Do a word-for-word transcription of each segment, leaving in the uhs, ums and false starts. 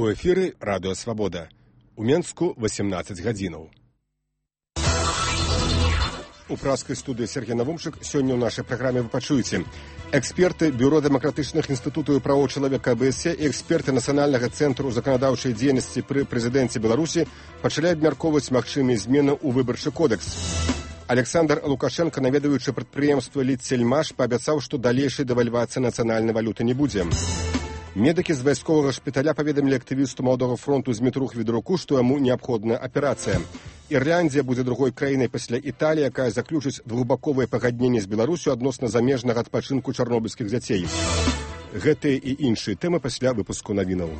У эфіры радыё Свабода. У Менску васемнаццаць гадзінаў. У праскай студыі Сергей Навумчык сёння ў нашай праграме вы пачуеце. Эксперты Бюро дэмакратычных інстытутаў і правоў чалавека АБС і эксперты Нацыянальнага цэнтру заканадаўчай дзейнасці пры прэзідэнце Беларусі пачалі абмяркоўваць магчымыя змены ў выбарчы кодэкс. Александр Лукашенко, наведваючы прадпрыемства «Литсельмаш», паабяцаў, што далейшай дэвальвацыі нацыянальнай валюты не будзе. Медыкі з вайсковага шпіталя паведамілі актывісту Маладога фронту Змітру Хвідруку, што яму неабходная аперацыя. Ірландія будзе другой краінай пасля Італіі, якая заключыць двухбаковае пагадненне з Беларусю адносна замежнага адпачынку чарнобыльскіх дзяцей. Гэтыя і іншыя тэмы пасля выпуску навінаў.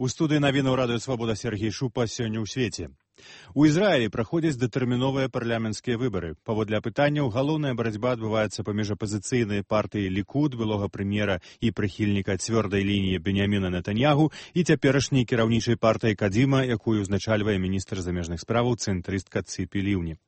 У студыі навінаў радыё Свабода Сергей Шупа сёння ў свеце. У Ізраілі праходзяць датэрміновыя парламенцкія выбары. Паводле апытанняў, галоўная барацьба адбываецца паміж апазіцыйнай партыяй Лікуд, былога прэм'ера і прыхільніка цвёрдай лініі Беньяміна Нетаньягу, і цяперашняй кіраўнічай партыяй Кадзіма, якую ўзначальвае міністр замежных справаў цэнтрыстка Цыпі Ліўні.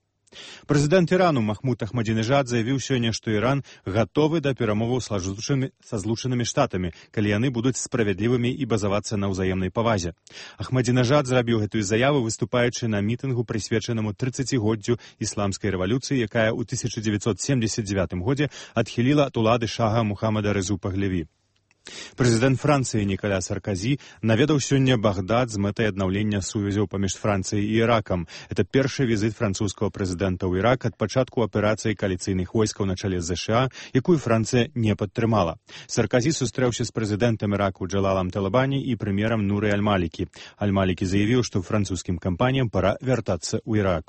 Прэзідэнт Ірану Махмуд Ахмадзінежад заявіў сёння, што Іран гатовы да перамоваў са злучанымі штатамі, калі яны будуць справядлівымі і базавацца на ўзаемнай павазе. Ахмадзінежад зрабіў гэтую заяву, выступаючы на мітынгу, прысвечанаму трыццацігоддзю ісламскай рэвалюцыі, якая ў тысяча дзевяцьсот семдзесят дзевятым годзе адхіліла ад улады шага Мухаммада Рэзу Пагляві. Прэзідэнт Францыі Нікаля Сарказі наведаў сёння Багдад з мэтай аднаўлення сувязяў паміж Францыяй і Іракам. Это першы візіт французскага прэзідэнта ў Ірак ад пачатку аперацыі кааліцыйных войскаў на чале з ЗША, якую Францыя не падтрымала. Сарказі сустрэўся з прэзідэнтам Іраку Джалалам Талабані і прэм'ерам Нуры Аль-Малікі. Аль-Малікі заявіў, што французскім кампаніям пара вяртацца ў Ірак.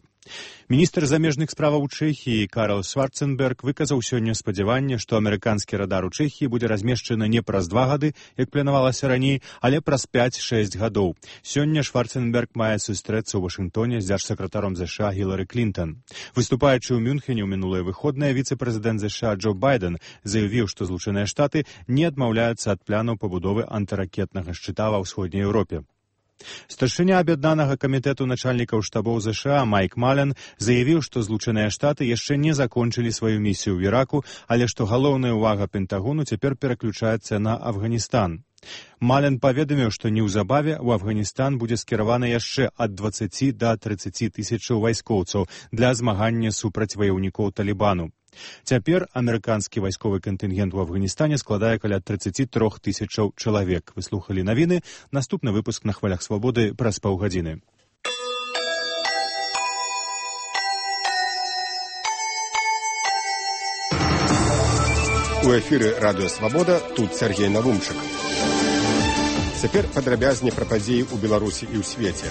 Міністр замежных справаў Чэхіі Карл Шварценберг выказаў сёння спадзяванне, што амерыканскі радар у Чэхіі будзе размешчаны не праз два гады, як планавалася раней, але праз пяць-шэсць гадоў. Сёння Шварценберг мае сустрэцца ў Вашынгтоне з дзяржсакратаром ЗША Гілары Клінтон. Выступаючы ў Мюнхене ў мінулыя выходныя, віцэ-прэзідэнт ЗША Джо Байден заявіў, што Злучаныя Штаты не адмаўляюцца ад планаў пабудовы антыракетнага шчыта ва ўсходняй Еўропе. Старшыня аб'яднанага камітэту начальнікаў штабоў ЗША Майк Мален заявіў, што Злучаныя Штаты яшчэ не закончылі сваю місію ў Іраку, але што галоўная ўвага Пентагону цяпер пераключаецца на Афганістан. Мален паведаміў, што неўзабаве ў Афганістан будзе скіравана яшчэ ад дваццаці да трыццаці тысячаў вайскоўцаў для змагання супраць ваяўнікоў Талібану. Цяпер амерыканскі вайсковы кантынгент у Афганістане складае каля трыццаці трох тысячаў чалавек. Вы слухалі навіны. Наступны выпуск на хвалях Свабоды праз паўгадзіны. У эфіры радыё Свабода, тут Сергей Навумчык. Цяпер падрабязней пра падзеі ў Беларусі і ў свеце.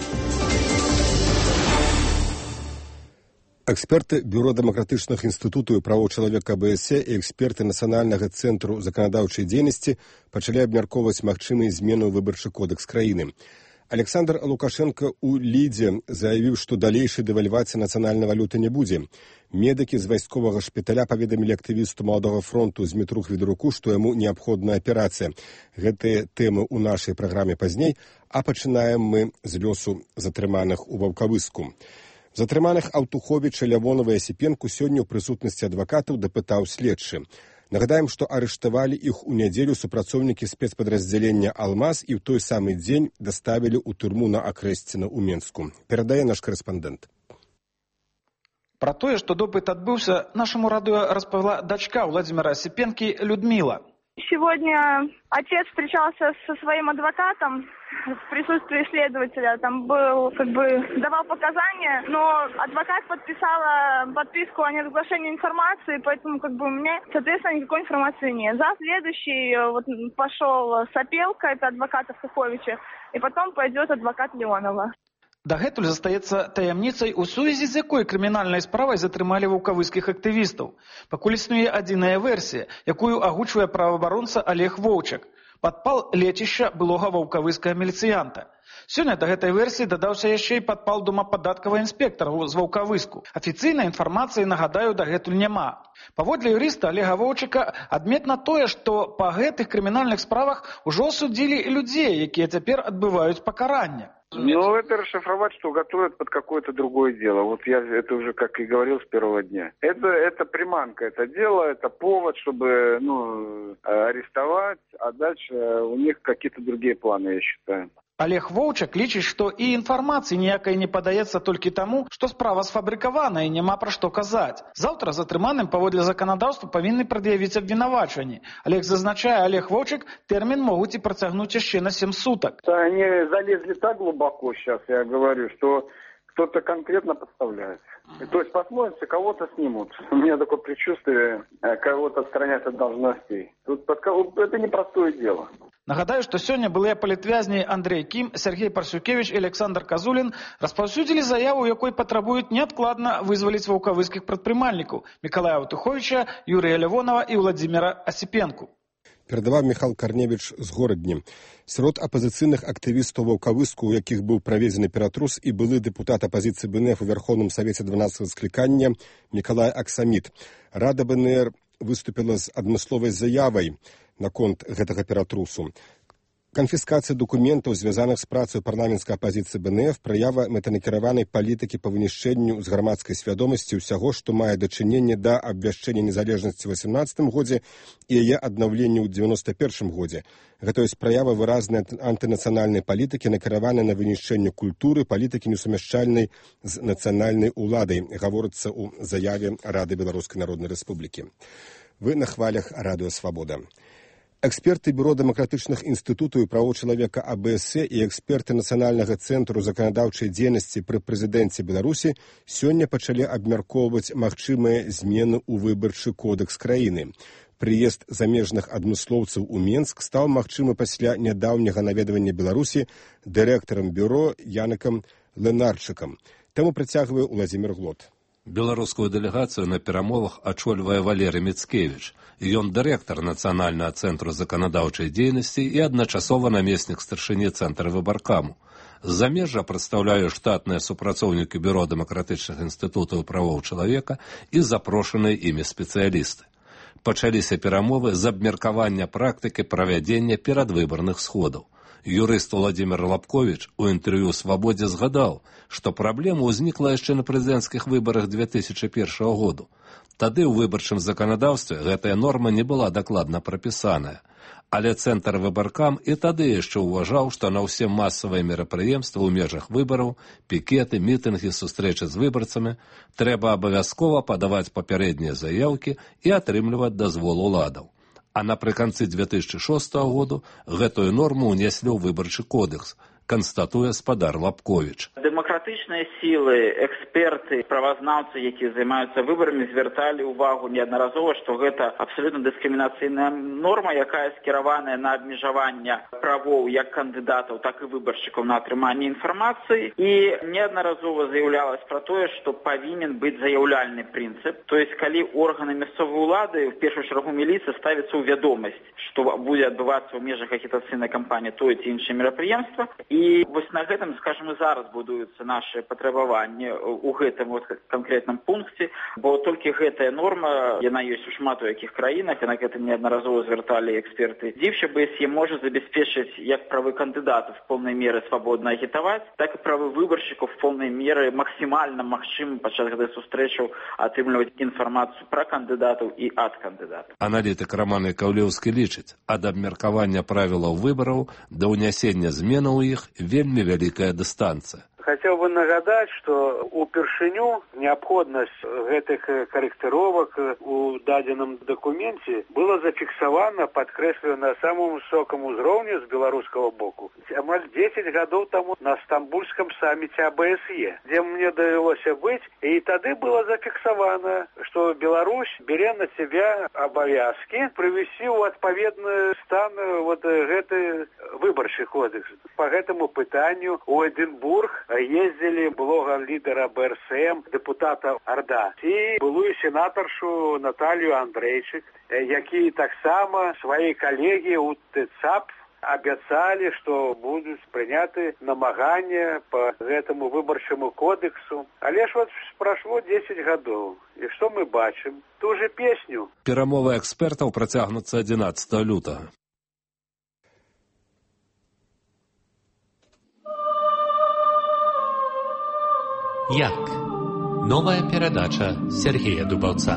Эксперты Бюро дэмакратычных інстытутаў і правоў чалавека АБС і эксперты Нацыянальнага цэнтру заканадаўчай дзейнасці пачалі абмяркоўваць магчымыя змены ў выбарчы кодэкс краіны. Александр Лукашенко ў Лідзе заявіў, што далейшай дэвальвацыі нацыянальнай валюты не будзе. Медыкі з вайсковага шпіталя паведамілі актывісту Маладога фронту Змітру Хвідруку, што яму неабходная аперацыя. Гэтыя тэмы ў нашай праграме пазней, а пачынаем мы з лёсу затрыманых у Ваўкавыску. Затрыманых Аўтуховіча, Лявонова і Асіпенку сёння ў прысутнасці адвакатаў дапытаў следчы. Нагадаем, што арыштавалі іх у нядзелю супрацоўнікі спецпадраздзялення «Алмаз» і ў той самы дзень даставілі ў турму на Акрэсціна ў Менску. Перадае наш корэспандэнт. Пра тое, што допыт адбыўся, нашаму радыё распавяла дачка Владзіміра Асіпенкі Людмила. Сегодня отец встречался со своим адвокатом в присутствии следователя. Там был, как бы, давал показания, но адвокат подписала подписку о неразглашении информации, поэтому, как бы, у меня, соответственно, никакой информации нет. За следующий вот пошел Сапелка, это адвокат Аўтуховіча, и потом пойдет адвокат Леонова. Дагэтуль застаецца таямніцай, у сувязі з якой крымінальнай справай затрымалі ваўкавыскіх актывістаў. Пакуль існуе адзіная версія, якую агучвае праваабаронца Олег Воўчак. Падпал лецішча былога ваўкавыскага міліцыянта. Сёння да гэтай версіі дадаўся яшчэ і падпал дома падаткавага інспектара з Ваўкавыску. Афіцыйнай інфармацыі, нагадаю, дагэтуль няма. Паводле юрыста Олега Воўчака адметна тое, што па гэтых крымінальных справах ужо судзілі людзей, якія цяпер адбываюць пакаранне. Ну, это расшифровать, что готовят под какое-то другое дело. Вот я это уже, как и говорил, с первого дня. Это, это приманка, это дело, это повод, чтобы ну, арестовать, а дальше у них какие-то другие планы, я считаю. Олег Воўчак лічыць, што і інфармацыі ніякай не падаецца толькі таму, што справа сфабрыкавана і няма пра што казаць. Заўтра затрыманым паводле заканадаўства павінны прад'явіць абвінавачванні. Олег зазначае, Олег Воўчак, тэрмін могуць і працягнуць яшчэ на сем суток. Они залезли так глубоко сейчас, я говорю, что кто-то конкретно подставляет. То есть посмотрите, кого-то снимут. У меня такое предчувствие, кого-то отстранять от должностей. Тут это непростое дело. Нагадаю, што сёння былыя палітвязні Андрей Кім, Сергей Парсюкевич і Александр Казулін распаўсюдзілі заяву, якой патрабуюць неадкладна вызваліць ваўкавыскіх прадпрымальнікаў Мікалая Ватуховіча, Юрія Лявонова і Владзіміра Асіпенку. Перадаваў Міхал Карневіч з Горадні. Сярод апазіцыйных актывістаў ваўкавыску, у якіх быў праведзены ператрус і былы дэпутат апазіцыі БНФ у Вярхоўным Савеце дванаццатага склікання Мікалай Аксаміт. Рада БНР выступіла з адмысловай заявай наконт гэтага ператрусу. Канфіскацыя дакументаў, звязаных з працай парламенцкай апазіцыі БНФ, праява мэтанакіраванай палітыкі па вынішчэнню з грамадскай свядомасці ўсяго, што мае дачыненне да абвяшчэння незалежнасці ў васемнаццатым годзе і яе аднаўлення ў дзевяноста першым годзе. Гэта ёсць праява выразнай антынацыянальнай палітыкі, накіраванай на вынішчэнне культуры, палітыкі несумяшчальнай з нацыянальнай уладай, гаворыцца ў заяве Рады Беларускай Народнай Рэспублікі. Вы на хвалях Радыё Свабода. Эксперты Бюро дэмакратычных інстытутаў і правоў чалавека А Б С і эксперты Нацыянальнага цэнтру заканадаўчай дзейнасці пры прэзідэнце Беларусі сёння пачалі абмяркоўваць магчымыя змены ў выбарчы кодэкс краіны. Прыезд замежных адмыслоўцаў у Менск стаў магчымы пасля нядаўняга наведвання Беларусі дырэктарам бюро Яныкам Ленарчыкам. Таму працягвае Уладзімір Глот. Беларускую дэлегацыю на перамовах ачольвае Валерый Міцкевіч. Ён дырэктар Нацыянальнага цэнтру заканадаўчай дзейнасці і адначасова намеснік старшыні цэнтра выбаркаму. З замежжа прадстаўляе штатныя супрацоўнікі Бюро дэмакратычных інстытутаў правоў чалавека і запрошаныя імі спецыялісты. Пачаліся перамовы з абмеркавання практыкі правядзення перадвыбарных сходаў. Юрыст Владзімір Лапковіч у інтэрв'ю «Свабодзе» згадаў, што праблема ўзнікла яшчэ на прэзідэнцкіх выбарах две тысячы першага году. Тады ў выбарчым заканадаўстве гэтая норма не была дакладна прапісаная. Але цэнтр выбаркам і тады яшчэ ўважаў, што на ўсе масавыя мерапрыемствы ў межах выбараў, пікеты, мітынгі, сустрэчы з выбарцамі трэба абавязкова падаваць папярэднія заяўкі і атрымліваць дазвол уладаў. А напрыканцы две тысячы шостага году гэтую норму ўнеслі ў выбарчы кодекс, канстатуе спадар Лапковіч. Дэмакратычныя сілы, эксперты, правазнаўцы, якія займаюцца выбарамі, звярталі ўвагу неаднаразова, што гэта абсалютна дыскрымінацыйная норма, якая скіраваная на абмежаванне правоў як кандыдатаў, так і выбаршчыкаў на атрыманне інфармацыі. І неаднаразова заяўлялась пра тое, што павінен быць заяўляльны прынцып. То есть, калі органы мясцовай улады, в першую чаргу міліцыя, ставіцца ў вядомасць, што будзе адбывацца ў межах агітацыйнай кампаніі тое ці іншае мерапрыемства. І вось на гэтым, скажем, і зараз будуюцца нашы патрабаванні ў гэтым вот канкрэтным пункце, бо толькі гэтая норма, яна ёсць у шмат у якіх краінах, і на гэта неаднаразова звярталі эксперты. Дзівча Б С Е можа забяспечыць як правы кандыдатаў в полной меры свабодна агітаваць, так і правы выбаршчыкаў в полной меры максімальна магчымым падчас гэтых сустрэчаў атрымліваць інфармацыю пра кандыдатаў і ад кандыдатаў. Аналітык Роман Яковлеўскі лічыць, ад абмеркавання правілаў выбараў да ўнясення зменаў у іх вельмі вялікая дыстанцыя. Хотел бы нагадать, что упершыню необходимость гэтых корректировок у дадзеным документе было зафиксовано, подкреслено на самом высоком уровне с белорусского боку. Амаль десять годов тому на Стамбульском саммите А Б С Е, где мне довелось быть, и тогда было зафиксовано, что Беларусь берет на себя обовязки привести в отповедный стан вот гэты выборчий кодекс. По этому пытанию у Эдинбург ездили блога лидера Б Р С М, депутата Орда, и былую сенаторшу Наталью Андрейчик, якія таксама свои коллеги у Т Ц А П обещали, что будут приняты намагания по этому выборчему кодексу. Але ж вот прошло десять годов. И что мы бачим? Ту же песню. Перамовы экспертаў працягнуцца адзінаццатага лютага. Як? Новая перадача Сергея Дубаўца.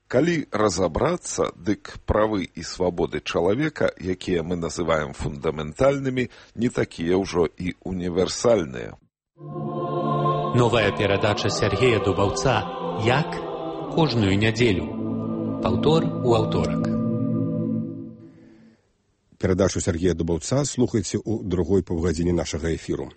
Калі разабрацца, дык правы і свабоды чалавека, якія мы называем фундаментальнымі, не такія ўжо і універсальныя. Новая перадача Сергея Дубаўца «Як?» кожную нядзелю. Паўтор у аўторак. Перадачу Сергея Дубаўца слухайце ў другой паўгадзіне нашага эфіру.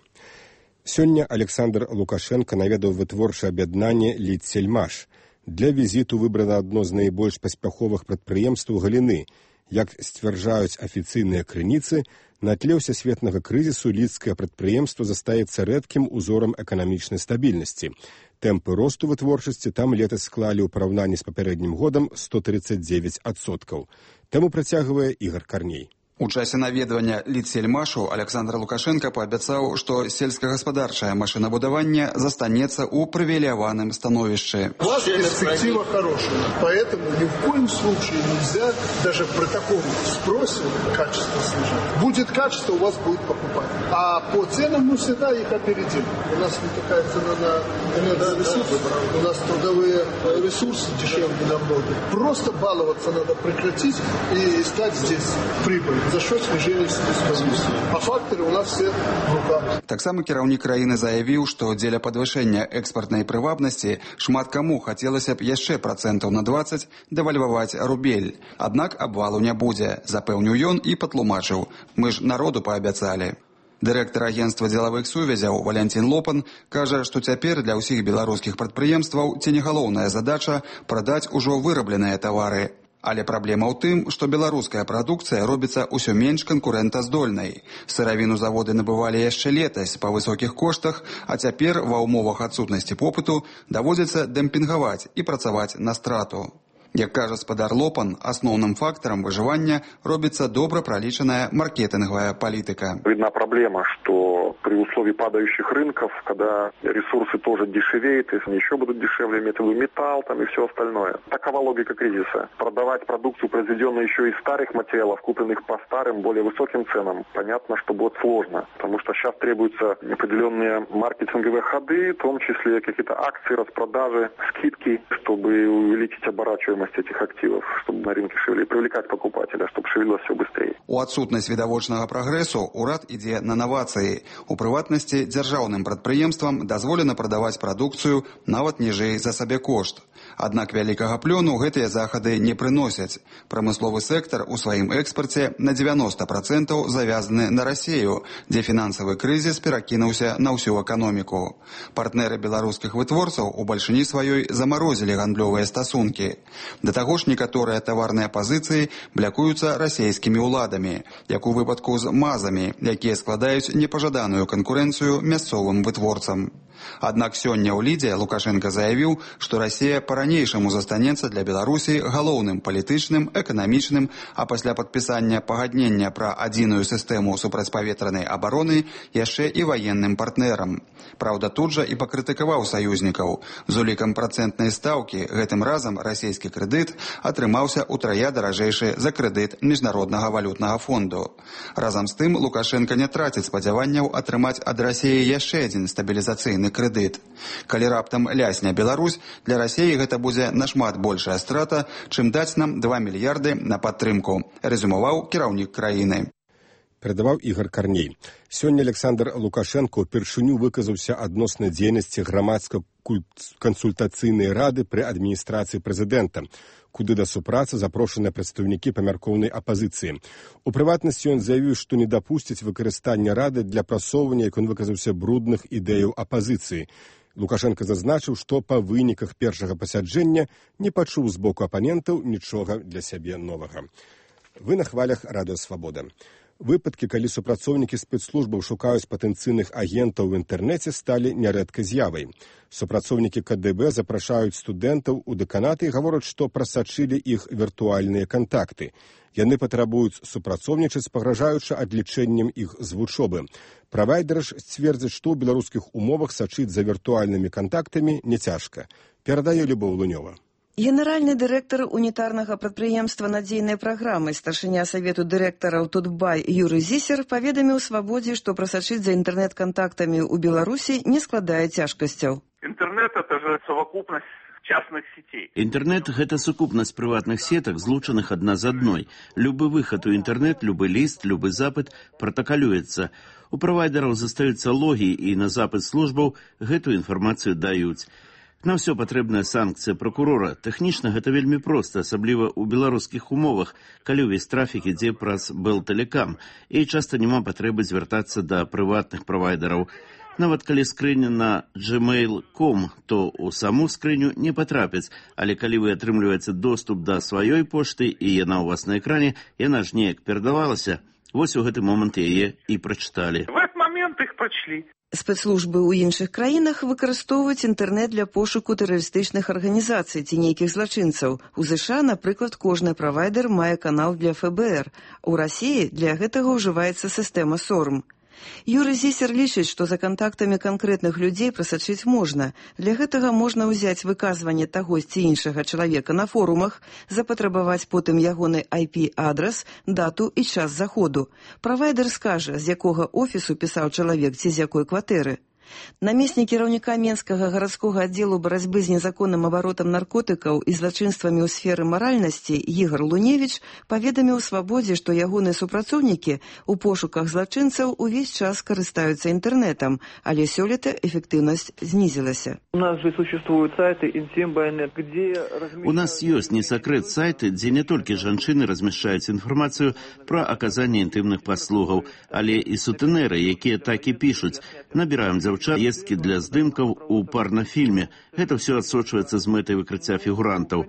Сёння Александр Лукашенко наведаў вытворчае аб'яднанне «Лідсельмаш». Для візіту выбрана адно з найбольш паспяховых прадпрыемстваў галіны. Як сцвярджаюць афіцыйныя крыніцы, на тле ўсесветнага крызісу лідскае прадпрыемства застаецца рэдкім узорам эканамічнай стабільнасці. Тэмпы росту вытворчасці там летась склалі ў параўнанні з папярэднім годам сто тридцать девять адсоткаў. Тэму працягвае Ігор Карней. У часе наведвання Лідсельмашу Александр Лукашенко паабяцаў, што сельскагаспадарчае машинабудаванне застанецца ў прывілеяваным становішчы. У вас перспектива хорошая, поэтому ни в коем случае нельзя даже при таком спросе качество снижать. Будет качество, у вас будет покупать. А по ценам мы всегда их опередим. У нас не такая цена на энергоресурсы, у нас трудовые ресурсы дешевле намного. Просто баловаться надо прекратить и искать здесь прибыль. За счет снижения себестоимости. А факторы у нас все в руках. Таксама кіраўнік краіны заявіў, што дзеля падвышэння экспартнай прывабнасці шмат каму хацелася б яшчэ працэнтаў на двадцать дэвальваваць рубель. Аднак абвалу не будзе, запэўніў ён і патлумачыў. Мы ж народу паабяцалі. Дырэктар агенцтва дзелавых сувязяў Валянцін Лопан кажа, што цяпер для ўсіх беларускіх прадпрыемстваў ці не галоўная задача прадаць ужо вырабленыя тавары. Але праблема ў тым, што беларуская прадукцыя робіцца ўсё менш канкурэнтаздольнай. Сыравіну заводы набывалі яшчэ летась па высокіх коштах, а цяпер ва ўмовах адсутнасці попыту даводзіцца дэмпінгаваць і працаваць на страту. Як кажа спадар Лопан, асноўным фактарам выжывання робіцца добра проличенная маркетинговая политика. Видна проблема, что при условии падающих рынков, когда ресурсы тоже дешевеют, если еще будут дешевле, металл там и все остальное. Такова логика кризиса. Продавать продукцию, произведенную еще из старых материалов, купленных по старым, более высоким ценам, понятно, что будет сложно. Потому что сейчас требуются определенные маркетинговые ходы, в том числе какие-то акции, распродажи, скидки, чтобы увеличить оборачиваемость этих активов, чтобы на рынке шевели, привлекать покупателя, чтобы шевелилось все быстрее. У адсутнасць відавочнага прагрэсу ўрад ідзе на навацыі. У прыватнасці дзяржаўным прадпрыемствам дазволена прадаваць прадукцыю нават ніжэй за сабекошт. Аднак вялікага плёну гэтыя захады не прыносяць. Прамысловы сектар у сваім экспарце на девяносто процентов завязаны на Расію, дзе фінансавы крызіс перакінуўся на ўсю эканоміку. Партнеры беларускіх вытворцаў у бальшыні сваёй замарозілі гандлёвыя стасункі. Да таго ж некаторыя таварныя пазіцыі блякуюцца расійскімі ўладамі, як у выпадку з мазамі, якія складаюць непажаданую канкурэнцыю мясцовым вытворцам. Аднак сёння ў Лідзе Лукашенко заявіў, што Расія па-ранейшаму застанецца для Беларусі галоўным палітычным, эканамічным, а пасля падпісання пагаднення пра адзіную сістэму супрацьпаветранай абароны яшчэ і ваенным партнерам. Праўда, тут жа і пакрытыкаваў саюзнікаў. З улікам працэнтнай стаўкі гэтым разам расійскі крэдыт атрымаўся утрая даражэйшы за крэдыт Міжнароднага валютнага фонду. Разам з тым Лукашенко не траціць спадзяванняў атрымаць ад Расіі яшчэ адзін стабілізацыйны крэдыт. Калі раптам лясне Беларусь, для Расіі гэта будзе нашмат большая страта, чым даць нам два мільярды на падтрымку, рэзюмаваў кіраўнік краіны. Перадаваў Ігор Карней. Сёння Александр Лукашенко ўпершыню выказаўся адносна дзейнасці грамадска-кансультацыйнай рады пры адміністрацыі прэзідэнта, куды да супрацы запрошаныя прадстаўнікі памяркоўнай апазіцыі. У прыватнасці ён заявіў, што не дапусціць выкарыстання рады для прасоўвання, як ён выказаўся, брудных ідэяў апазіцыі. Лукашенко зазначыў, што па выніках першага пасяджэння не пачуў з боку апанентаў нічога для сябе новага. Вы на хвалях Радыё Свабода. Выпадкі, калі супрацоўнікі спецслужбаў шукаюць патэнцыйных агентаў у інтэрнэце, сталі нярэдкай з'явай. Супрацоўнікі ка дэ бэ запрашаюць студэнтаў у дэканаты і гавораць, што прасачылі іх віртуальныя кантакты. Яны патрабуюць супрацоўнічаць, пагражаючы адлічэннем іх з вучобы. Правайдеры ж сцвердзяць, што ў беларускіх умовах сачыць за віртуальнымі кантактамі не цяжка. Перадае Любоў Лунёва. Генеральны дырэктар унітарнага прадпрыемства «Надзейнай праграмы», старшыня Савету дырэктараў «Тутбай» Юрый Зісер паведаміў «Свабодзе», што прасачыць за інтэрнэт-кантактамі ў Беларусі не складае цяжкасцяў. Интернет – это же совокупность частных сетей. Интернет – гэта сукупнасць прыватных сетак, злучаных адна з адной. Любы выхад у інтэрнет, любы ліст, любы запыт пратакалюецца. У правайдераў застаюцца логі, і на запыт службаў гэтую інфармацыю даюць. На ўсё патрэбная санкцыя пракурора. Тэхнічна гэта вельмі проста, асабліва ў беларускіх умовах, калі ўвесь трафік ідзе праз Белтэлекам, і часта няма патрэбы звяртацца да прыватных правайдераў. Нават калі скрыня на джимейл крапка ком, то ў саму скрыню не патрапяць, але калі вы атрымліваеце доступ да сваёй пошты і яна ў вас на экране, яна ж неяк перадавалася. Вось у гэты момант яе і прачыталі. В этот момент их прочли. Спецслужбы ў іншых краінах выкарыстоўваюць інтэрнэт для пошуку тэрарыстычных арганізацый ці нейкіх злачынцаў. У ЗША, напрыклад, кожны правайдер мае канал для эф бэ эр. У Расіі для гэтага ўжываецца сістэма сорм. Юрый Зісер лічыць, што за кантактамі канкрэтных людзей прасачыць можна. Для гэтага можна ўзяць выказванне таго ці іншага чалавека на форумах, запатрабаваць потым ягоны ай пі-адрас, дату і час заходу. Правайдер скажа, з якога офісу пісаў чалавек ці з якой кватэры. Намеснік кіраўніка Менскага гарадскога аддзелу барацьбы з незаконным абаротам наркотыкаў і злачынствамі ў сферы маральнасці Ігор Луневіч паведаміў «Свабодзе», што ягоныя супрацоўнікі ў пошуках злачынцаў увесь час карыстаюцца інтэрнэтам, але сёлета эфектыўнасць знізілася. У нас же существуют сайты Интим-Байнет, где... У нас ёсць не сакрэт сайты, дзе не толькі жанчыны размяшчаюць інфармацыю пра аказанне інтымных паслугаў, але і сутэнеры, якія так і пішуць. Набіраем дзяўчат ездкі для здымкаў у парнафільме. Гэта ўсё адсочваецца з мэтай выкрыцця фігурантаў.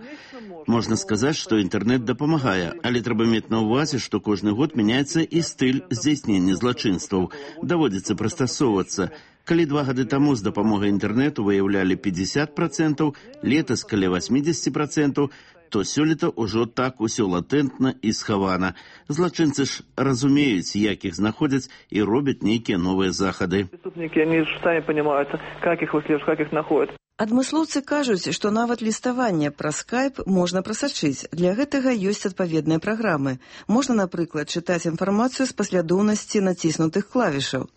Можна сказаць, што інтэрнэт дапамагае, але трэба мець на ўвазе, што кожны год мяняецца і стыль здзяйснення злачынстваў. Даводзіцца прыстасоўвацца. Калі два гады таму з дапамогай інтэрнэту выяўлялі пятьдесят процентов, летась каля восемьдесят процентов, то сёлета ўжо так усё латэнтна і схавана. Злачынцы ж разумеюць, як іх знаходзяць і робяць нейкія новыя захады. Преступники, они сами понимают, как их выслеживать, как их находят. Адмыслоўцы кажуць, што нават ліставанне праз скайп можна прасачыць. Для гэтага ёсць адпаведныя праграмы. Можна, напрыклад, чытаць інфармацыю з паслядоўнасці націснутых клавішаў.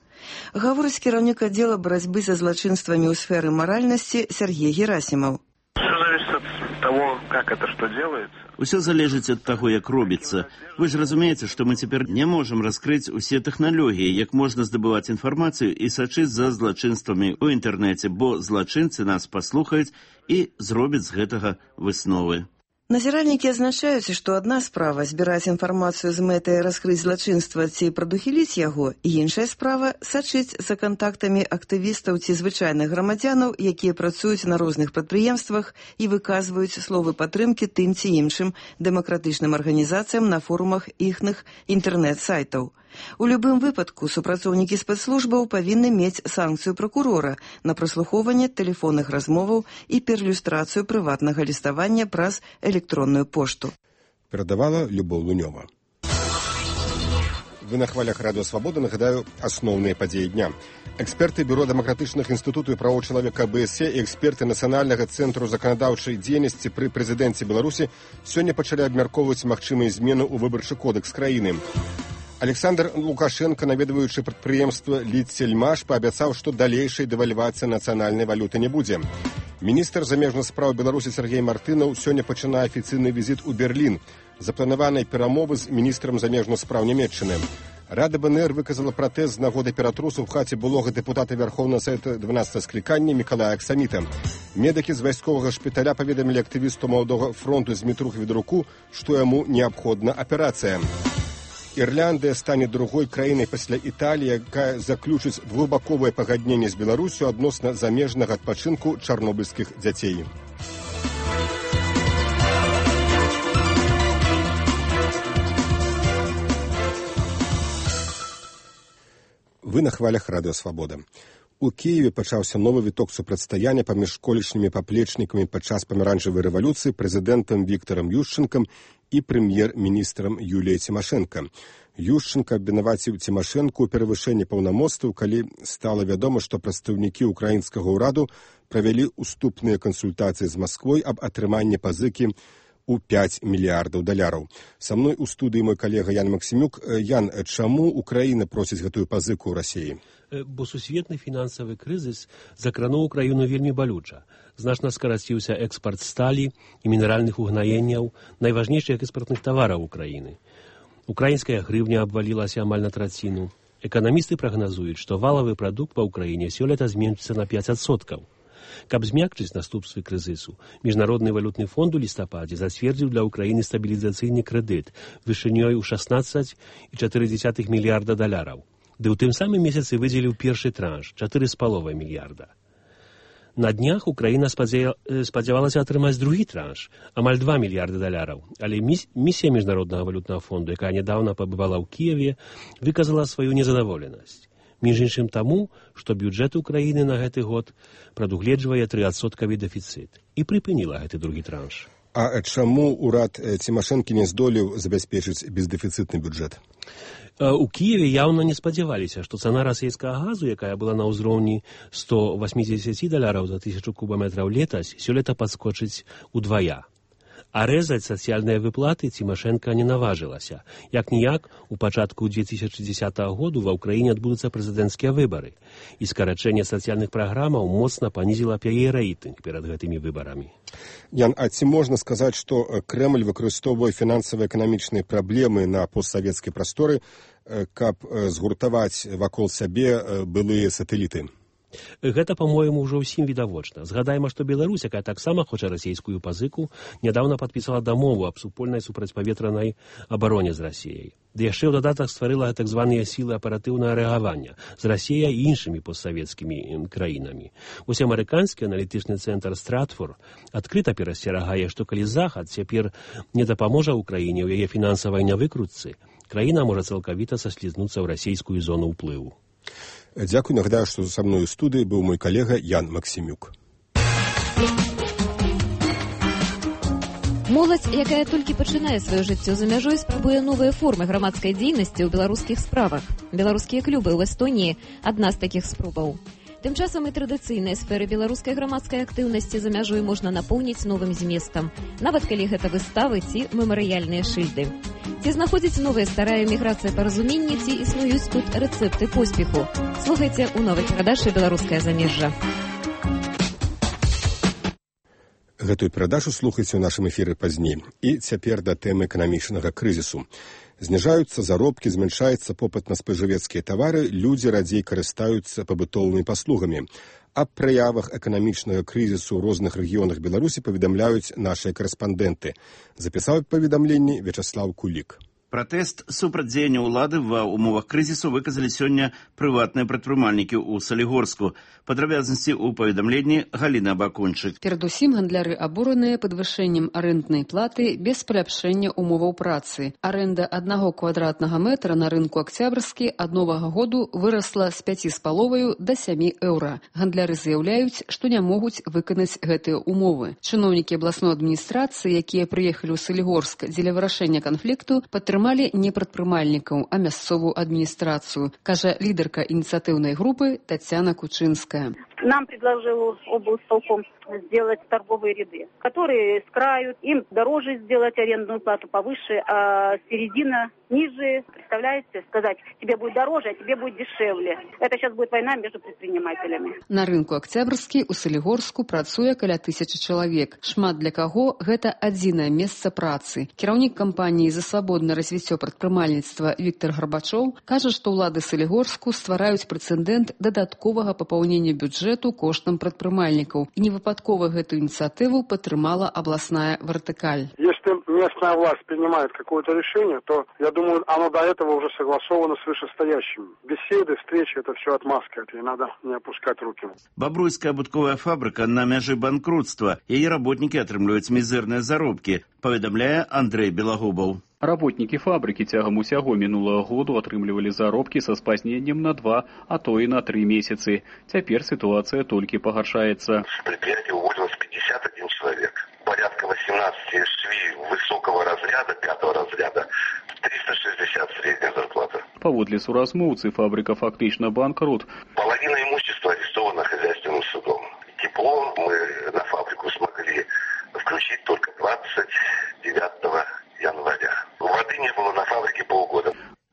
Гаворыць кіраўнік аддзела барацьбы за злачынствамі ў сферы маральнасці Сергей Герасимов. Все зависит от того, как это что делается. Усё залежыць ад таго, як робіцца. Вы ж разумееце, што мы цяпер не можам раскрыць усе тэхналогіі, як можна здабываць інфармацыю і сачыць за злачынствамі ў інтэрнэце, бо злачынцы нас паслухаюць і зробяць з гэтага высновы. Назіральнікі адзначаюць, што адна справа збіраць інфармацыю з мэтай раскрыць злачынства ці прадухіліць яго, і іншая справа сачыць за кантактамі актывістаў ці звычайных грамадзянаў, якія працуюць на розных прадпрыемствах і выказваюць словы падтрымкі тым ці іншым дэмакратычным арганізацыям на форумах іхных інтэрнэт-сайтаў. У любым выпадку супрацоўнікі спецслужбаў павінны мець санкцыю пракурора на праслухоўванне тэлефонных размоваў і перлюстрацыю прыватнага ліставання праз электронную пошту. Перадавала Любоў Лунёва. Вы на хвалях Радыё Свабода, нагадаю, асноўныя падзеі дня. Эксперты Бюро дэмакратычных інстытутаў і правоў чалавека АБС і эксперты Нацыянальнага цэнтру заканадаўчай дзейнасці пры прэзідэнце Беларусі сёння пачалі абмяркоўваць магчымыя змены ў выбарчы кодэкс краіны. Александр Лукашенко, наведваючы прадпрыемства «Лідсельмаш», паабяцаў, што далейшай дэвальвацыі нацыянальнай валюты не будзе. Міністр замежных спраў Беларусі Сергей Мартынаў сёння пачынае афіцыйны візіт у Берлін. Запланаванай перамовы з міністрам замежных спраў Нямецчыны. Рада БНР выказала пратэст з нагоды ператрусу ў хаце былога дэпутата Вярхоўнага Савета дванаццатага склікання Мікалая Аксаміта. Медыкі з вайсковага шпіталя паведамілі актывісту маладога фронту Змітрух Ведруку, што яму неабходна аперацыя. Ірландыя стане другой краінай пасля Італіі, якая заключыць двухбаковае пагадненне з Беларусю адносна замежнага адпачынку чарнобыльскіх дзяцей. Вы на хвалях Радыё Свабода. У Киеве пачаўся новы віток супрацьстаяння паміж колішнімі паплечнікамі падчас памяранчавай рэвалюцыі прэзідэнтам Віктарам Ющэнкам і прэм'ер-міністрам Юліяй Цімашэнка. Ющэнка абвінаваціў Цімашэнку ў перавышэнні паўнамоцтваў, калі стала вядома, што прадстаўнікі ўкраінскага ўраду правялі уступныя кансультацыі з Масквой аб атрыманні пазыкі у пяць мільярдаў даляраў. Са мной у студыі мой калега Ян Максімюк. Ян, чаму Украіна просіць гэтую пазыку ў Расіі? Бо сусветны фінансавы крызіс закрануў краіну вельмі балюча. Значна скараціўся экспарт сталі і мінеральных угнаенняў, найважнейшых экспартных тавараў Украіны. Украінская грывня абвалілася амаль на траціну. Эканамісты прагназуюць, што валавы прадукт па Украіне сёлета зменшыцца на пяць адсоткаў. Каб змякчыць наступствы крызісу, Міжнародны валютны фонд у лістападзе зацвердзіў для Украіны стабілізацыйны крэдыт вышынёй у шаснаццаць і чатыры дзесятых мільярда даляраў. Ды ў тым самым месяцы выдзеліў першы транш чатыры з паловай мільярда. На днях Украіна спадзявалася атрымаць другі транш, амаль два мільярда даляраў, але місія Міжнароднага валютнага фонду, якая нядаўна пабывала ў Кіеве, выказала сваю незадаволенасць. Між іншым таму, што бюджэт Украіны на гэты год прадугледжвае трыадсоткавы дэфіцыт і прыпыніла гэты другі транш. А чаму ўрад Цімашэнкі не здолеў забяспечыць бездэфіцытны бюджэт? У Кіеве яўна не спадзяваліся, што цана расійскага газу, якая была на ўзроўні сто восемьдесят даляраў за тысячу кубаметраў летась, сёлета падскочыць удвая. А рэзаць сацыяльныя выплаты Цімашэнка не наважылася. Як-ніяк, у пачатку две тысячи дзесятага году ва ўкраіне адбудуцца прэзідэнцкія выбары, і скарачэнне сацыяльных праграмаў моцна панізіла яе рэйтынг перад гэтымі выбарамі. Ян, а ці можна сказаць, што Крэмль выкарыстоўвае фінансава-эканамічныя праблемы на постсавецкай прасторы, каб згуртаваць вакол сябе былыя сатэліты? Гэта, па-моему, ўжо ўсім відавочна. Згадайма, што Беларусь, якая таксама хоча расійскую пазыку, нядаўна падпісала дамову аб супольнай супрацьпаветранай абароне з Расіяй. Ды яшчэ ў дадатак стварыла так званыя сілы аператыўнага рэагавання з Расіяй і іншымі постсавецкімі краінамі. Вось амерыканскі аналітычны цэнтр Стратфор адкрыта перасцерагае, што калі Захад цяпер не дапаможа ўкраіне ў яе фінансавай нявыкрутцы, краіна можа цалкавіта саслізнуцца ў расійскую зону ўплыву. Дзякуй, нагадаю, што са мной у студыі быў мой калега Ян Максімюк. Моладзь, якая толькі пачынае сваё жыццё за мяжой, спрабуе новыя формы грамадскай дзейнасці ў беларускіх справах. Беларускія клубы ў Эстоніі – адна з такіх спробаў. Тым часам і традыцыйныя сферы беларускай грамадскай актыўнасці за мяжой можна напоўніць новым зместам, нават калі гэта выставы ці мемарыяльныя шыльды. Ці знаходзіць новыя старая міграцыя паразуменні, ці існуюць тут рэцэпты поспеху? Слухайце ў новай перадачы «Беларускае замежжа». Гэтую перадачу слухайце ў нашым эфіры пазней. І цяпер да тэмы эканамічнага крызісу. Зніжаюцца заробкі, змяншаецца попыт на спажывецкія тавары, людзі радзей карыстаюцца пабытовымі паслугамі. Аб праявах эканамічнага крызісу ў розных рэгіёнах Беларусі паведамляюць нашыя карэспандэнты. Запісаў паведамленне Вячаслаў Кулік. Пратэст супраць дзеяння ўлады ва ўмовах крызісу выказалі сёння прыватныя прадпрымальнікі ў Салігорску. Падрабязнасці ў паведамленні Галіна Бакунчык. Перадусім гандляры абураныя падвышэннем арэнднай платы без паляпшэння умоваў працы. Арэнда аднаго квадратнага метра на рынку Акцябрскі ад новага году вырасла з пяці з паловаю да сямі еўра. Гандляры заяўляюць, што не могуць выканаць гэтыя умовы. Чыноўнікі абласной адміністрацыі, якія прыехалі ў Салігорск дзеля вырашэння канфлікту, падтрымалі не прадпрымальнікаў, а мясцовую адміністрацыю, кажа лідарка ініцыятыўнай групы Тацяна Кучынская. Нам предложил облсполком сделать торговые ряды, которые с краю, им дороже сделать арендную плату повыше, а середина ниже, представляете, сказать, тебе будет дороже, а тебе будет дешевле. Это сейчас будет война между предпринимателями. На рынку Акцябрскі у Салігорску працуе каля тысячы чалавек. Шмат для каго гэта адзінае месца працы. Кіраўнік кампаніі за свабоднае развіццё прадпрымальніцтва Віктор Гарбачоў кажа, што ўлады Салігорску ствараюць прэцэдэнт дадатковага папаўнення бюджэту коштам прадпрымальнікаў. І невыпадкова гэту ініцыятыву падтрымала абласная вертыкаль. Если местная власть принимает какое-то решение, то, я думаю, оно до этого уже согласовано с вышестоящими. Беседы, встречи, это все отмазка, это и надо не опускать руки. Бабруйская абутковая фабрика на мяжы банкротства. Яе работники атрымліваюць мізэрныя заробкі, паведамляе Андрей Белагубаў. Работники фабрики тягом усяго минулого году атрымлівалі заробкі са спазненнем на два, а то и на три месяцы. Теперь ситуация только погоршается. С предприятия уволилось пятьдесят один человек. Порядка восемнадцать швей высокого разряда, пятого разряда, триста шестьдесят средняя зарплата. Паводле суразмоўцы, фабрика фактично банкрот. Половина имущества арестована хозяйственным судом. Тепло,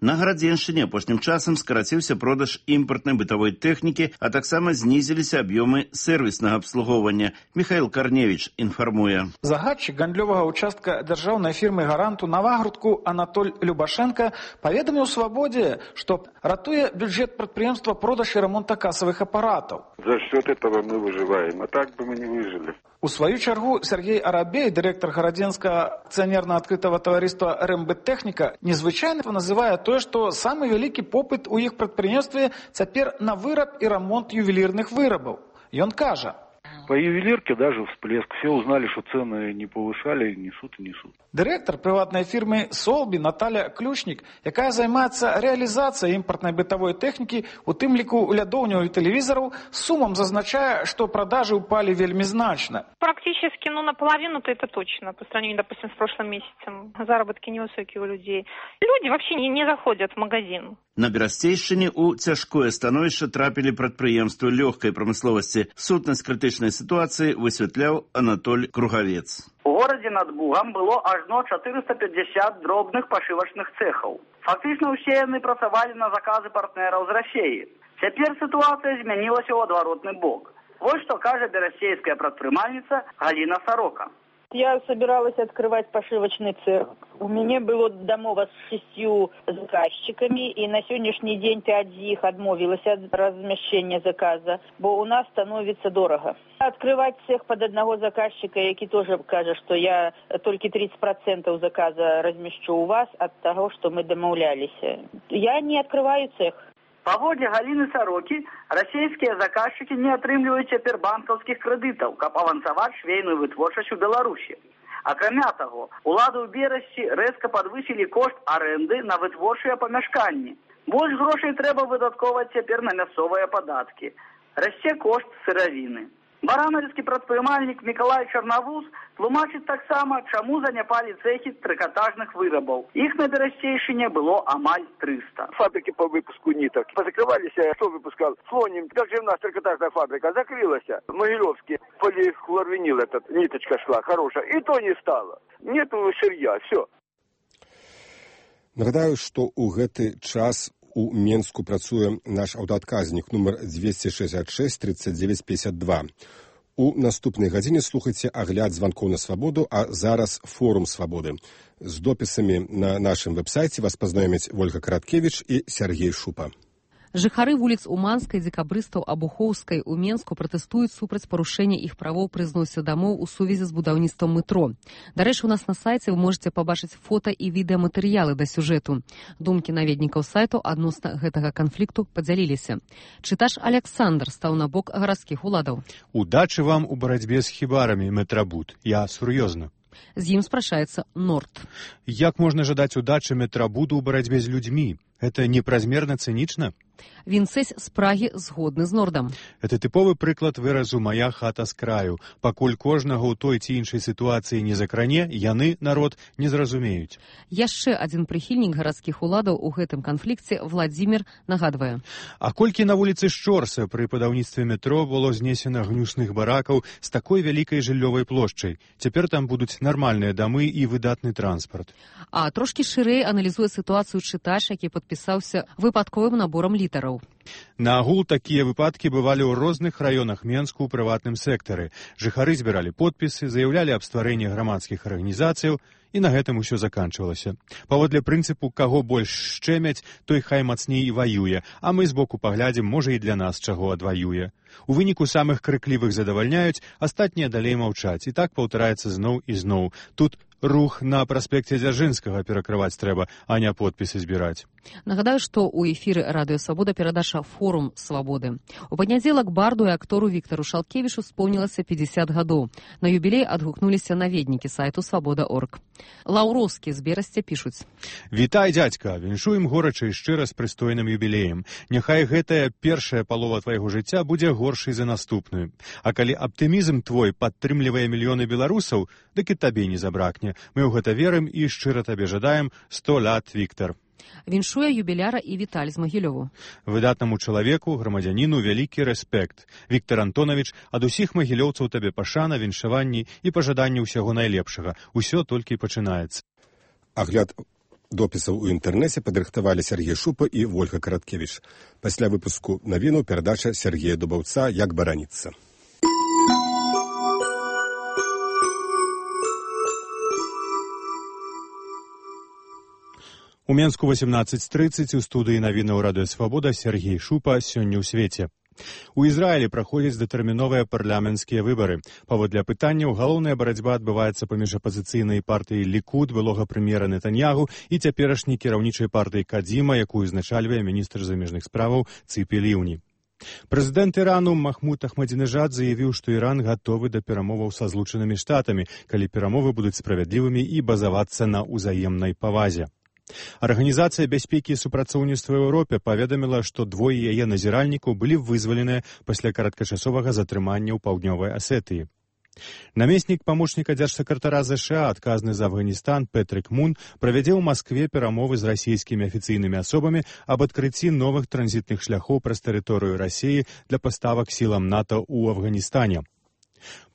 На Гарадзеншчыне апошнім часам скараціўся продаж імпартнай бытавой тэхнікі, а таксама знізіліся аб'ёмы сэрвіснага абслугоўвання. Михаил Корневич інфармуе. Загадчык гандлёвага участка дзяржаўнай фірмы «Гаранту» Навагрудку Анатоль Любашенко паведаміў «Свабодзе», што ратуе бюджет прадпрыемства продаж і рамонта касавых апаратаў. За счет этого мы выживаем, а так бы мы не выжили. У сваю чаргу Сергей Арабей, дырэктар гарадзенскага акцыянерна-адкрытага таварыства «РМБ-тэхніка», незвычайна называе тое, што самы вялікі попыт у іх прадпрыемстве цяпер на выраб і рамонт ювелірных вырабаў. Ён кажа: по ювелирке даже всплеск. Все узнали, что цены не повышали, несут и несут. Директор приватной фирмы «Солби» Наталья Ключник, якая займаецца реализацией импортной бытовой техники, у тым ліку лядоўняў і тэлевізараў, сумам зазначае, что продажи упали вельми значно. Практически, ну, наполовину-то это точно, по сравнению, допустим, с прошлым месяцем. Заработки невысокие у людей. Люди вообще не, не заходят в магазин. На Берасцейшчыне у цяжкое становішча трапілі прадпрыемствы лёгкай прамысловасці. Сутнасць крытычнай сітуацыі высвятляў Анатоль Кругавец. У горадзе над Бугам было ажно чатырыста пятьдесят дробных пашывачных цэхаў. Фактычна ўсе яны працавалі на заказы партнераў з Расіі. Цяпер сітуацыя змянілася ў адваротны бок. Вось што кажа берасцейская прадпрымальніца Галина Сорока. Я собиралась открывать пошивочный цех. У меня было домова с шестью заказчиками, и на сегодняшний день пять из них отмовилась от размещения заказа, бо у нас становится дорого. Открывать цех под одного заказчика, який тоже скажет, что я только тридцать процентов заказа размещу у вас от того, что мы домовлялись. Я не открываю цех. Па воде Галины Сороки, расійскія заказчики не атрымліваюць цяпер банкаўскіх крэдытаў, каб авансаваць швейную вытворчасць у Беларусі. Акрамя таго, улады ў Берасці рэзка падвысілі кошт арэнды на вытворчыя памяшканні. Больш грошай трэба выдаткоўваць цяпер на мясцовыя падаткі. Расце кошт сыравіны. Баранавіцкі прадпрымальнік Мікалай Чарнавуз тлумачыць таксама, чаму заняпалі цэхі трыкатажных вырабаў. Іх на Берасцейшчыне было амаль триста. Фабрики по выпуску ниток позакрывались. Кто выпускал? Слоним. Как же у нас трикотажная фабрика закрылась. Могилевский полихлорвинил, этот ниточка шла хорошая. И то не стало. Нету сырья. Все. Нагадаю, што ў гэты час у Менску працуе наш аўтаадказнік нумар двести шестьдесят шесть тридцать девять пятьдесят два. У наступнай гадзіне слухайце агляд званкоў на свабоду, а зараз форум свабоды. З допісамі на нашым вэб-сайце вас пазнаёмяць Вольга Караткевіч і Сергей Шупа. Жыхары вуліц Уманскай, Дзекабрыстаў, Абухоўскай у Менску пратэстуюць супраць парушэння іх правоў пры зносе дамоў у сувязі з будаўніцтвам метро. Дарэчы, у нас на сайце вы можете пабачыць фота і відэаматэрыялы да сюжэту. Думкі наведнікаў сайту адносна гэтага канфлікту падзяліліся. Чытач Александр стаў на бок гарадскіх уладаў. Удачы вам у барацьбе з хібарамі, метрабуд. Я сур'ёзна. З ім спрашаецца Норд. Як можна жадаць удачы метрабуду ў барацьбе з людзьмі? Это непразмерна цынічна? Вінцэсь з Прагі згодны з Нордам. Это тыповы прыклад выразу «мая хата з краю». Пакуль кожнага ў той ці іншай сітуацыі не закране, яны, народ, не зразумеюць. Яшчэ адзін прыхільнік гарадскіх уладаў у гэтым канфлікце Владзімір нагадвае. А колькі на вуліцы Шчорса пры будаўніцтве метро было знесена гнюсных баракаў з такой вялікай жыллёвай плошчай. Цяпер там будуць нармальныя дамы і выдатны транспарт. А трошкі шырэй аналізуе сітуацыю чытач, які падпісаўся выпадковым наборам літараў. На агул такія выпадкі бывалі ў розных раёнах Менску ў прыватным сектары. Жыхары збіралі подпісы, заяўлялі аб стварэнні грамадскіх арганізацыяў, і на гэтым усё заканчвалася. Паводле прынцыпу «каго больш шчэмяць, той хай мацней і ваюе, а мы збоку паглядзім, можа і для нас чаго адваюе». У выніку самых крыклівых задавальняюць, астатнія далей маўчаць, і так паўтараецца зноў і зноў. Тут рух на праспекце Дзяржынскага перакрываць трэба, а не подпісы збіраць. Нагадаю, што ў эфіры Радыё Свабода перадача «Форум свабоды». У панядзелак барду і актору Віктару Шалкевішу споўнілася пятьдесят гадоў. На юбілей адгукнуліся наведнікі сайту свабода точка орг. Лаўроўскі з Берасця пішуць. Вітай, дзядзька, віншуем горача і шчыра з прыстойным юбілеем. Няхай гэтая першая палова твайго жыцця будзе горшай за наступную. А калі аптымізм твой падтрымлівае мільёны беларусаў, дык і табе не забракне. Мы ў гэта верым і шчыра табе жадаем сто лят, Віктар. Віншуе юбіляра і Віталь з Магілёву. Выдатнаму чалавеку, грамадзяніну, вялікі рэспект. Віктар Антонавіч, ад усіх магілёўцаў табе пашана, віншаванні і пажаданні ўсяго найлепшага. Усё толькі пачынаецца. Агляд допісаў у інтэрнэце падрыхтавалі Сергей Шупа і Вольга Караткевіч. Пасля выпуску навінаў перадача Сергея Дубаўца «Як бараніцца». У Менску восемнадцать тридцать у студыі навінаў Радыё Свабода Сергей Шупа сёння ў свеце. У Ізраілі праходзяць датэрміновыя парламенцкія выбары. Паводле апытанняў, галоўная барацьба адбываецца паміж апазіцыйнай партыяй Лікуд, былога прэм'ера Нетаньягу, і цяперашняй кіраўнічай партыяй Кадзіма, якую узначальвае міністр замежных справаў Цыпі Ліўні. Прэзідэнт Ірану Махмуд Ахмадзінежад заявіў, што Іран гатовы да перамоваў са Злучанымі Штатамі, калі перамовы будуць справядлівымі і базавацца на ўзаемнай павазе. Арганізацыя бяспекі і супрацоўніцтва ў Еўропе паведаміла, што двое яе назіральнікаў былі вызваленыя пасля кароткачасовага затрымання ў паўднёвай Асетыі. Намеснік памочніка дзяржсакратара ЗША, адказны за Афганістан Петрик Мун, правядзе ў Маскве перамовы з расійскімі афіцыйнымі асобамі аб адкрыцці новых транзітных шляхоў праз тэрыторыю Расіі для паставак сілам НАТО ў Афганістане.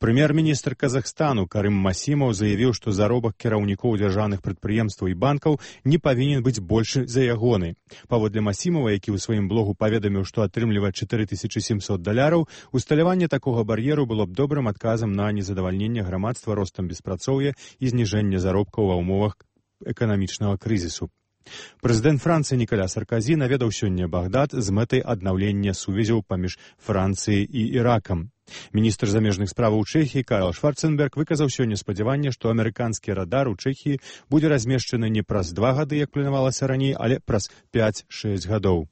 Прэм'ер-міністр Казахстану Карым Масімаў заявіў, што заробак кіраўнікоў дзяржаўных прадпрыемстваў і банкаў не павінен быць большы за ягоны. Паводле Масімава, які ў сваім блогу паведаміў, што атрымлівае чатыры тысячы сямсот даляраў, усталяванне такога бар'еру было б добрым адказам на незадавальненне грамадства ростам беспрацоўя і зніжэнне заробкаў ва ўмовах эканамічнага крызісу. Прэзідэнт Францыі Ніколя Сарказі наведаў сёння Багдад з мэтай аднаўлення сувязяў паміж Францыяй і Іракам. Міністр замежных справаў Чэхіі Карл Шварценберг выказаў сёння спадзяванне, што амерыканскі радар у Чэхіі будзе размешчаны не праз два гады, як планавалася раней, але праз пяць-шэсць гадоў.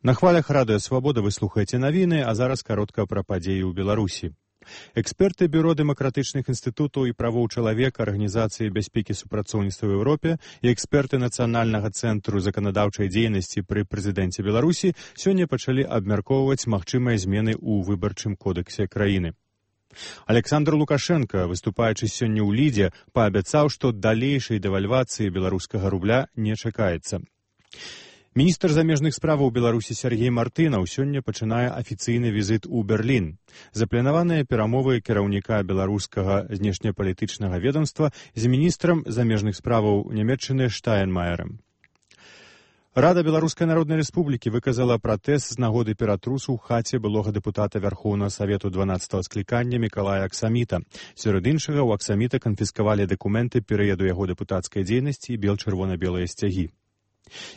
На хвалях Радыё Свабода вы слухаеце навіны, а зараз каротка пра падзеі ў Беларусі. Эксперты Бюро дэмакратычных інстытутаў і правоў чалавека Арганізацыі бяспекі супрацоўніцтва ў Еўропе і эксперты Нацыянальнага цэнтру заканадаўчай дзейнасці пры прэзідэнце Беларусі сёння пачалі абмяркоўваць магчымыя змены ў выбарчым кодэксе краіны. Александр Лукашенко, выступаючы сёння ў Лідзе, паабяцаў, што далейшай дэвальвацыі беларускага рубля не чакаецца. Міністр замежных справаў Беларусі Сергей Мартынаў сёння пачынае афіцыйны візіт у Берлін. Запланаваныя перамовы кіраўніка беларускага знешнепалітычнага ведомства з міністрам замежных справаў Нямецчыны Штайнмаерам. Рада Беларускай Народнай Рэспублікі выказала пратэст з нагоды ператрусу ў хаце былога дэпутата Вярхоўнага Савету дванаццатага склікання Мікалая Аксаміта. Сярод іншага, у Аксаміта канфіскавалі дакументы перыяду яго дэпутацкай дзейнасці і бел-чырвона-белыя сцягі.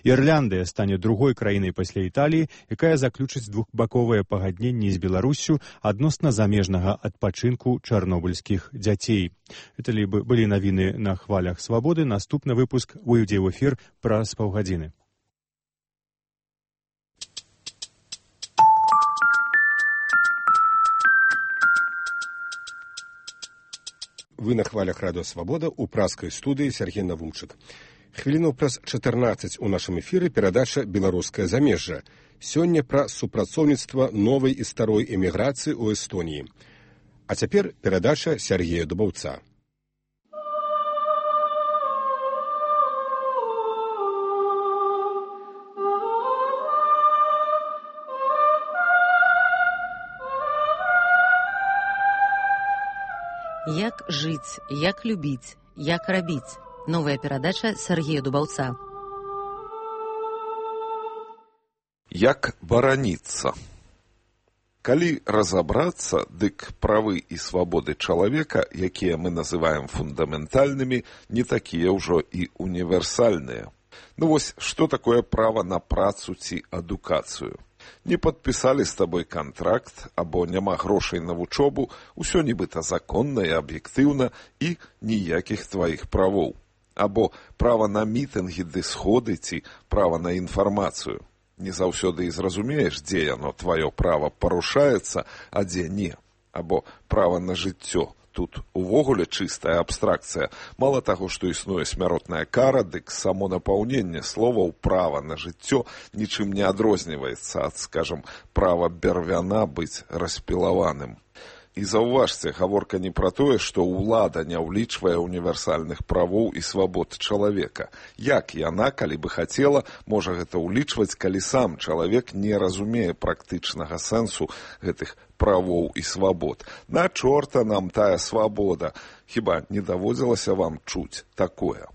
Ірляндыя стане другой краінай пасля Італіі, якая заключыць двухбаковыя пагадненні з Беларуссю адносна замежнага адпачынку чарнобыльскіх дзяцей. Это былі навіны на хвалях Свабоды. Наступны выпуск выйдзе ў эфір праз паўгадзіны. Вы на хвалях Радыё Свабода у праскай студыі Сергей Навумчык. Хвілінаў праз чатырнаццаць у нашым эфіры перадача «Беларускае замежжа». Сёння пра супрацоўніцтва новай і старой эміграцыі ў Эстоніі. А цяпер перадача Сергея Дубаўца. Як жыць, як любіць, як рабіць. Новая перадача Сергея Дубаўца. Як бараніцца. Калі разабрацца, дык правы і свабоды чалавека, якія мы называем фундаментальнымі, не такія ўжо і універсальныя. Ну вось, што такое права на працу ці адукацыю? Не падпісалі з табой кантракт, або няма грошай на вучобу, усё нібыта законна і аб'ектыўна, і ніякіх тваіх правоў. Або права на мітынгі ды сходы ці права на інфармацыю. Не заўсёды і зразумееш, дзе яно тваё права парушаецца, а дзе не. Або права на жыццё. Тут увогуле чыстая абстракцыя. Мала таго, што існуе смяротная кара, дык само напаўненне словаў права на жыццё нічым не адрозніваецца ад, скажам, права бервяна быць распілаваным. І заўважце, гаворка не пра тое, што ўлада не ўлічвае універсальных правоў і свабод чалавека. Як яна, калі бы хацела, можа гэта ўлічваць, калі сам чалавек не разумее практычнага сэнсу гэтых правоў і свабод? На чорта нам тая свабода. Хіба не даводзілася вам чуць такое?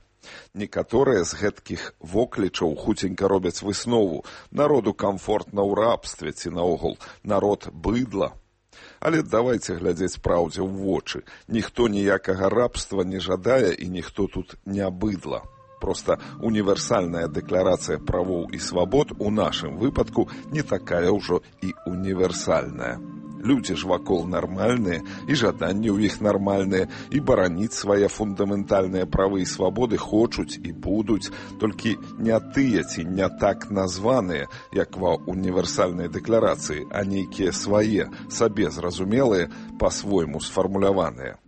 Некаторыя з гэткіх воклічаў хуценька робяць выснову: народу камфортна ў рабстве, ці наогул народ быдла. Але давайце глядзець праўдзе ў вочы. Ніхто ніякага рабства не жадае і ніхто тут не быдла. Проста універсальная дэкларацыя правоў і свабод у нашым выпадку не такая ўжо і універсальная. Людзі ж вакол нармальныя, і жаданні ў іх нармальныя, і бараніць свае фундаментальныя правы і свабоды хочуць і будуць, толькі не тыя ці не так названыя, як ва універсальнай дэкларацыі, а нейкія свае, сабе зразумелыя, па-свойму сфармуляваныя.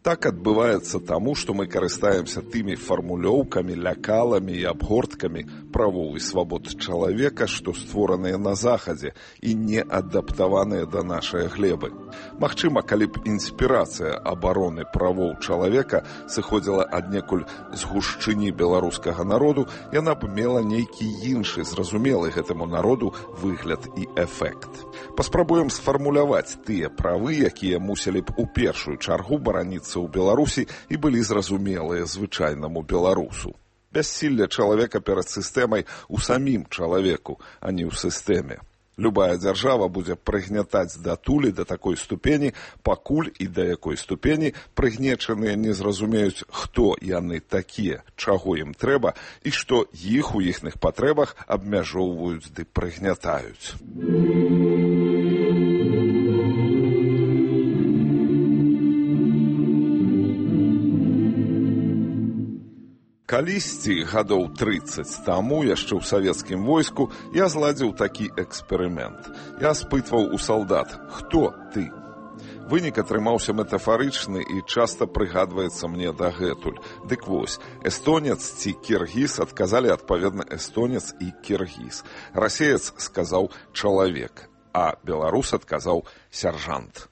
Так адбываецца таму, што мы карыстаемся тымі фармулёўкамі, лякаламі і абгорткамі правоў і свабод чалавека, што створаныя на Захадзе і не адаптаваныя да нашай глебы. Магчыма, калі б інспірацыя абароны правоў чалавека сыходзіла аднекуль з гушчыні беларускага народу, яна б мела нейкі іншы, зразумелы гэтаму народу выгляд і эфект. Паспрабуем сфармуляваць тыя правы, якія мусілі б у першую чаргу бараніцца ў Беларусі і былі зразумелыя звычайнаму беларусу. Бяссілле чалавека перад сістэмай у самім чалавеку, а не ў сістэме. Любая дзяржава будзе прыгнятаць датулі да такой ступені, пакуль і да якой ступені прыгнечаныя не зразумеюць, хто яны такія, чаго ім трэба і што іх у іхных патрэбах абмяжоўваюць ды прыгнятаюць. Калісьці, гадоў трыццаць таму, яшчэ ў савецкім войску, я зладзіў такі эксперымент. Я спытваў у салдат: «Хто ты?» Вынік атрымаўся метафарычны і часта прыгадваецца мне дагэтуль. Дык вось, эстонец ці кіргіз адказалі адпаведна эстонец і кіргіз. Расеец сказаў «чалавек», а беларус адказаў «сяржант».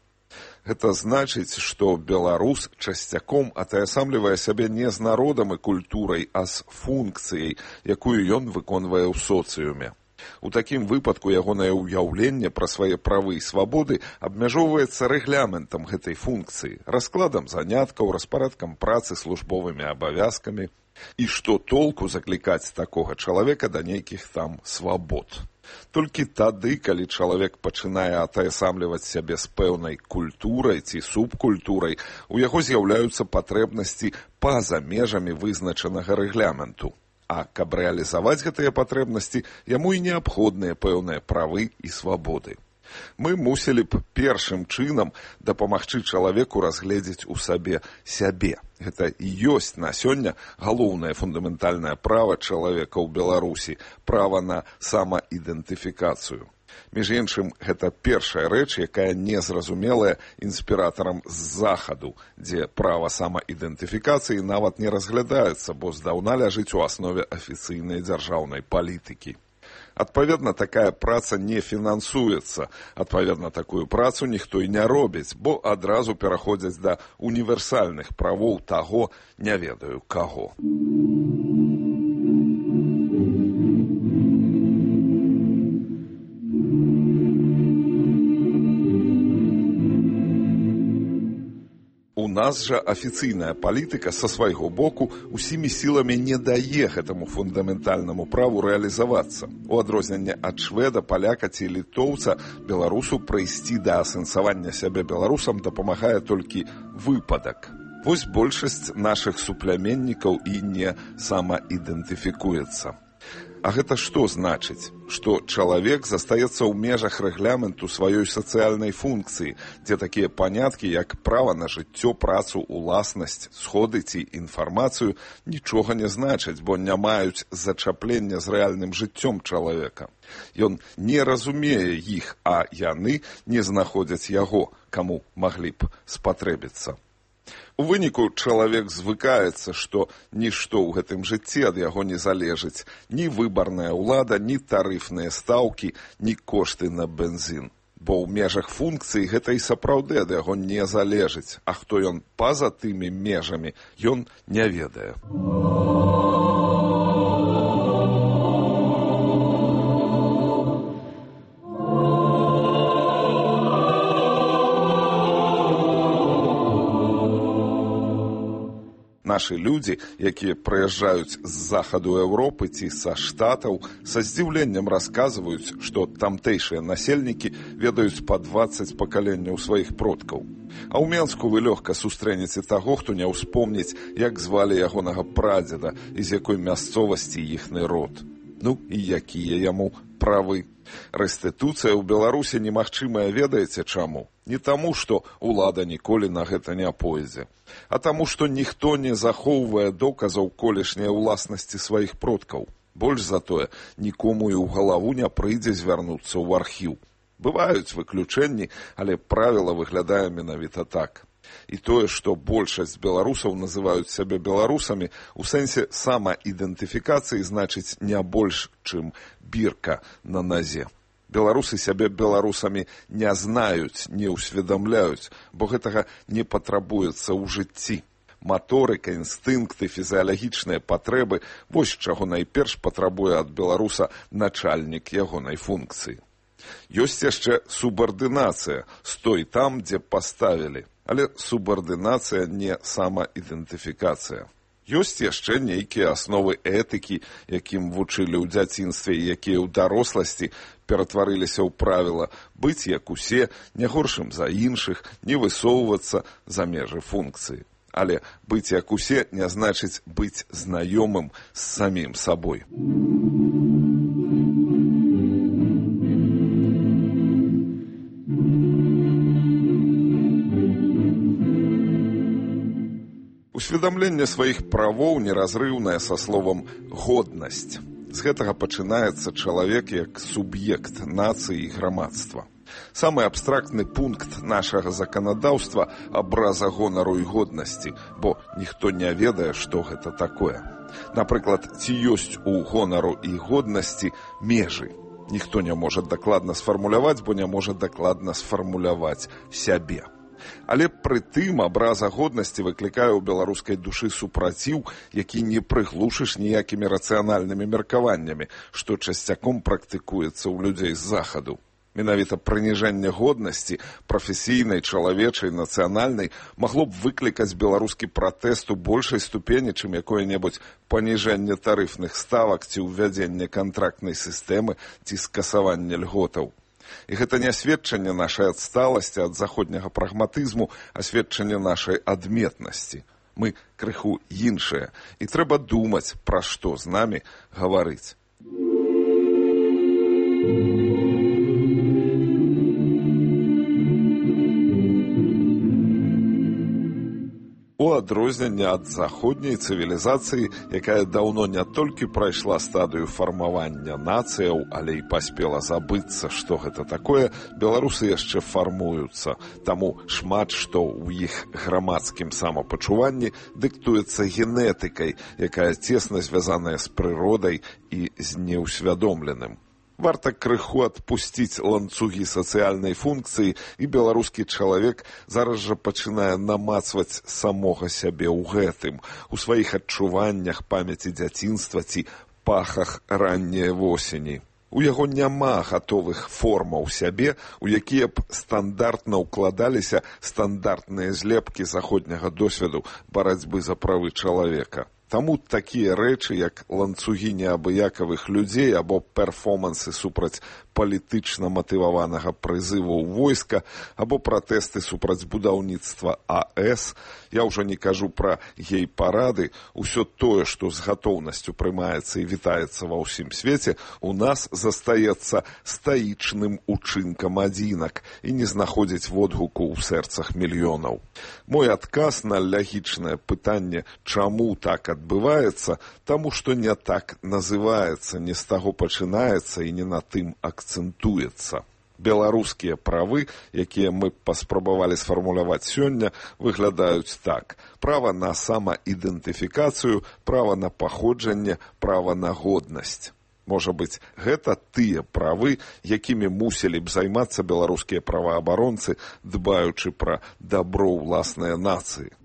Гэта значыць, што беларус часцяком атаясамлівае сябе не з народам і культурай, а з функцыяй, якую ён выконвае ў соцыуме. У такім выпадку ягонае ўяўленне пра свае правы і свабоды абмяжоўваецца рэгламентам гэтай функцыі, раскладам заняткаў, распарадкам працы, службовымі абавязкамі. І што толку заклікаць такога чалавека да нейкіх там свабод? Толькі тады, калі чалавек пачынае атаясамліваць сябе з пэўнай культурай ці субкультурай, у яго з'яўляюцца патрэбнасці па-за межамі вызначанага рэгламенту. А каб рэалізаваць гэтыя патрэбнасці, яму і неабходныя пэўныя правы і свабоды. Мы мусілі б першым чынам дапамагчы чалавеку разгледзець у сабе сябе. Гэта і ёсць на сёння галоўнае фундаментальнае права чалавека ў Беларусі – права на самаідэнтыфікацыю. Між іншым, гэта першая рэч, якая незразумелая інспіратарам з Захаду, дзе права самаідэнтыфікацыі нават не разглядаецца, бо здаўна ляжыць у аснове афіцыйнай дзяржаўнай палітыкі. Адпаведна, такая праца не фінансуецца. Адпаведна, такую працу ніхто і не робіць, бо адразу пераходзяць да універсальных правоў таго, не ведаю каго. У нас жа афіцыйная палітыка са свайго боку усімі сіламі не дае гэтаму фундаментальнаму праву рэалізавацца. У адрозненне ад шведа, паляка ці літоўца, беларусу прыйсці да асэнсавання сябе беларусам дапамагае толькі выпадак. Вось большасць нашых супляменнікаў і не самаідэнтыфікуецца. А гэта што значыць? Што чалавек застаецца ў межах рэгламенту сваёй сацыяльнай функцыі, дзе такія паняткі, як права на жыццё, працу, уласнасць, сходы ці інфармацыю, нічога не значаць, бо не маюць зачаплення з рэальным жыццём чалавека. Ён не разумее іх, а яны не знаходзяць яго, каму маглі б спатрэбіцца. У выніку чалавек звыкаецца, што нішто ў гэтым жыцці ад яго не залежыць. Ні выбарная ўлада, ні тарыфныя стаўкі, ні кошты на бензін. Бо ў межах функцыі гэта і сапраўды ад яго не залежыць, а хто ён па-за тымі межамі, ён не ведае. Нашы людзі, якія прыязджаюць з захаду Еўропы ці са штатаў, са здзіўленнем расказваюць, што тамтэйшыя насельнікі ведаюць па дваццаць пакаленняў сваіх продкаў. А ў Менску вы лёгка сустрэнеце таго, хто не ўспомніць, як звалі ягонага прадзеда і з якой мясцовасці іхны род. Ну і якія яму правы. Рэстытуцыя ў Беларусі немагчымая, ведаеце чаму? Не таму, што ўлада ніколі на гэта не пойдзе, а таму, што ніхто не захоўвае доказаў колішняй уласнасці сваіх продкаў. Больш за тое, нікому і ў галаву не прыйдзе звярнуцца ў архіў. Бываюць выключэнні, але правіла выглядае менавіта так. І тое, што большасць беларусаў называюць сябе беларусамі, у сэнсе самаідэнтыфікацыі значыць не больш, чым бірка на назе. Беларусы сябе беларусамі не знаюць, не ўсведамляюць, бо гэтага не патрабуецца ў жыцці. Маторыка, інстынкты, фізіялагічныя патрэбы – вось чаго найперш патрабуе ад беларуса начальнік ягонай функцыі. Ёсць яшчэ субардынацыя, стой там, дзе паставілі. Але субардынацыя не самаідэнтыфікацыя. Ёсць яшчэ нейкія асновы этыкі, якім вучылі ў дзяцінстве і якія ў даросласці ператварыліся ў правіла быць як усе, не горшым за іншых, не высоўвацца за межы функцыі. Але быць як усе не значыць быць знаёмым з самім сабой. Усведамленне сваіх правоў неразрыўнае са словам «годнасць». З гэтага пачынаецца чалавек як суб'ект нацыі і грамадства. Самы абстрактны пункт нашага заканадаўства – абраза гонару і годнасці, бо ніхто не ведае, што гэта такое. Напрыклад, ці ёсць у гонару і годнасці межы. Ніхто не можа дакладна сфармуляваць, бо не можа дакладна сфармуляваць сябе. Але пры тым абраза годнасці выклікае ў беларускай душы супраціў, які не прыглушыш ніякімі рацыянальнымі меркаваннямі, што часцяком практыкуецца ў людзей з захаду. Менавіта прыніжэнне годнасці, прафесійнай, чалавечай, нацыянальнай, магло б выклікаць беларускі пратэст у большай ступені, чым якое-небудзь паніжэнне тарыфных ставак ці ўвядзенне кантрактнай сістэмы ці скасаванне льготаў. І гэта не сведчанне нашай адсталасці ад заходняга прагматызму, а сведчанне нашай адметнасці. Мы крыху іншыя, і трэба думаць, пра што з намі гаварыць. У адрозненне ад заходняй цывілізацыі, якая даўно не толькі прайшла стадыю фармавання нацыяў, але і паспела забыцца, што гэта такое, беларусы яшчэ фармуюцца. Таму шмат што ў іх грамадскім самапачуванні дыктуецца генетыкай, якая цесна звязаная з прыродай і з неўсвядомленым. Варта крыху адпусціць ланцугі сацыяльнай функцыі, і беларускі чалавек зараз жа пачынае намацваць самога сябе ў гэтым, у сваіх адчуваннях, памяці дзяцінства ці пахах ранняй восені. У яго няма гатовых формаў сябе, у якія б стандартна ўкладаліся стандартныя злепкі заходняга досведу барацьбы за правы чалавека. Таму такія рэчы, як ланцугі неабыякавых людзей або перформансы супраць палітычна матываванага прызыву ў войска або пратэсты супраць будаўніцтва АЭС, я ўжо не кажу пра гей-парады, усё тое, што з гатоўнасцю прымаецца і вітаецца ва ўсім свеце, у нас застаецца стаічным учынкам адзінак і не знаходзіць водгуку ў сэрцах мільёнаў. Мой адказ на лагічнае пытанне, чаму так адбываецца, таму што не так называецца, не з таго пачынаецца і не на тым акцэнтуецца. Беларускія правы, якія мы паспрабавалі сфармуляваць сёння, выглядаюць так. Права на самаідэнтыфікацыю, права на паходжанне, права на годнасць. Можа быць, гэта тыя правы, якімі мусілі б займацца беларускія праваабаронцы, дбаючы пра дабро ўласнай нацыі.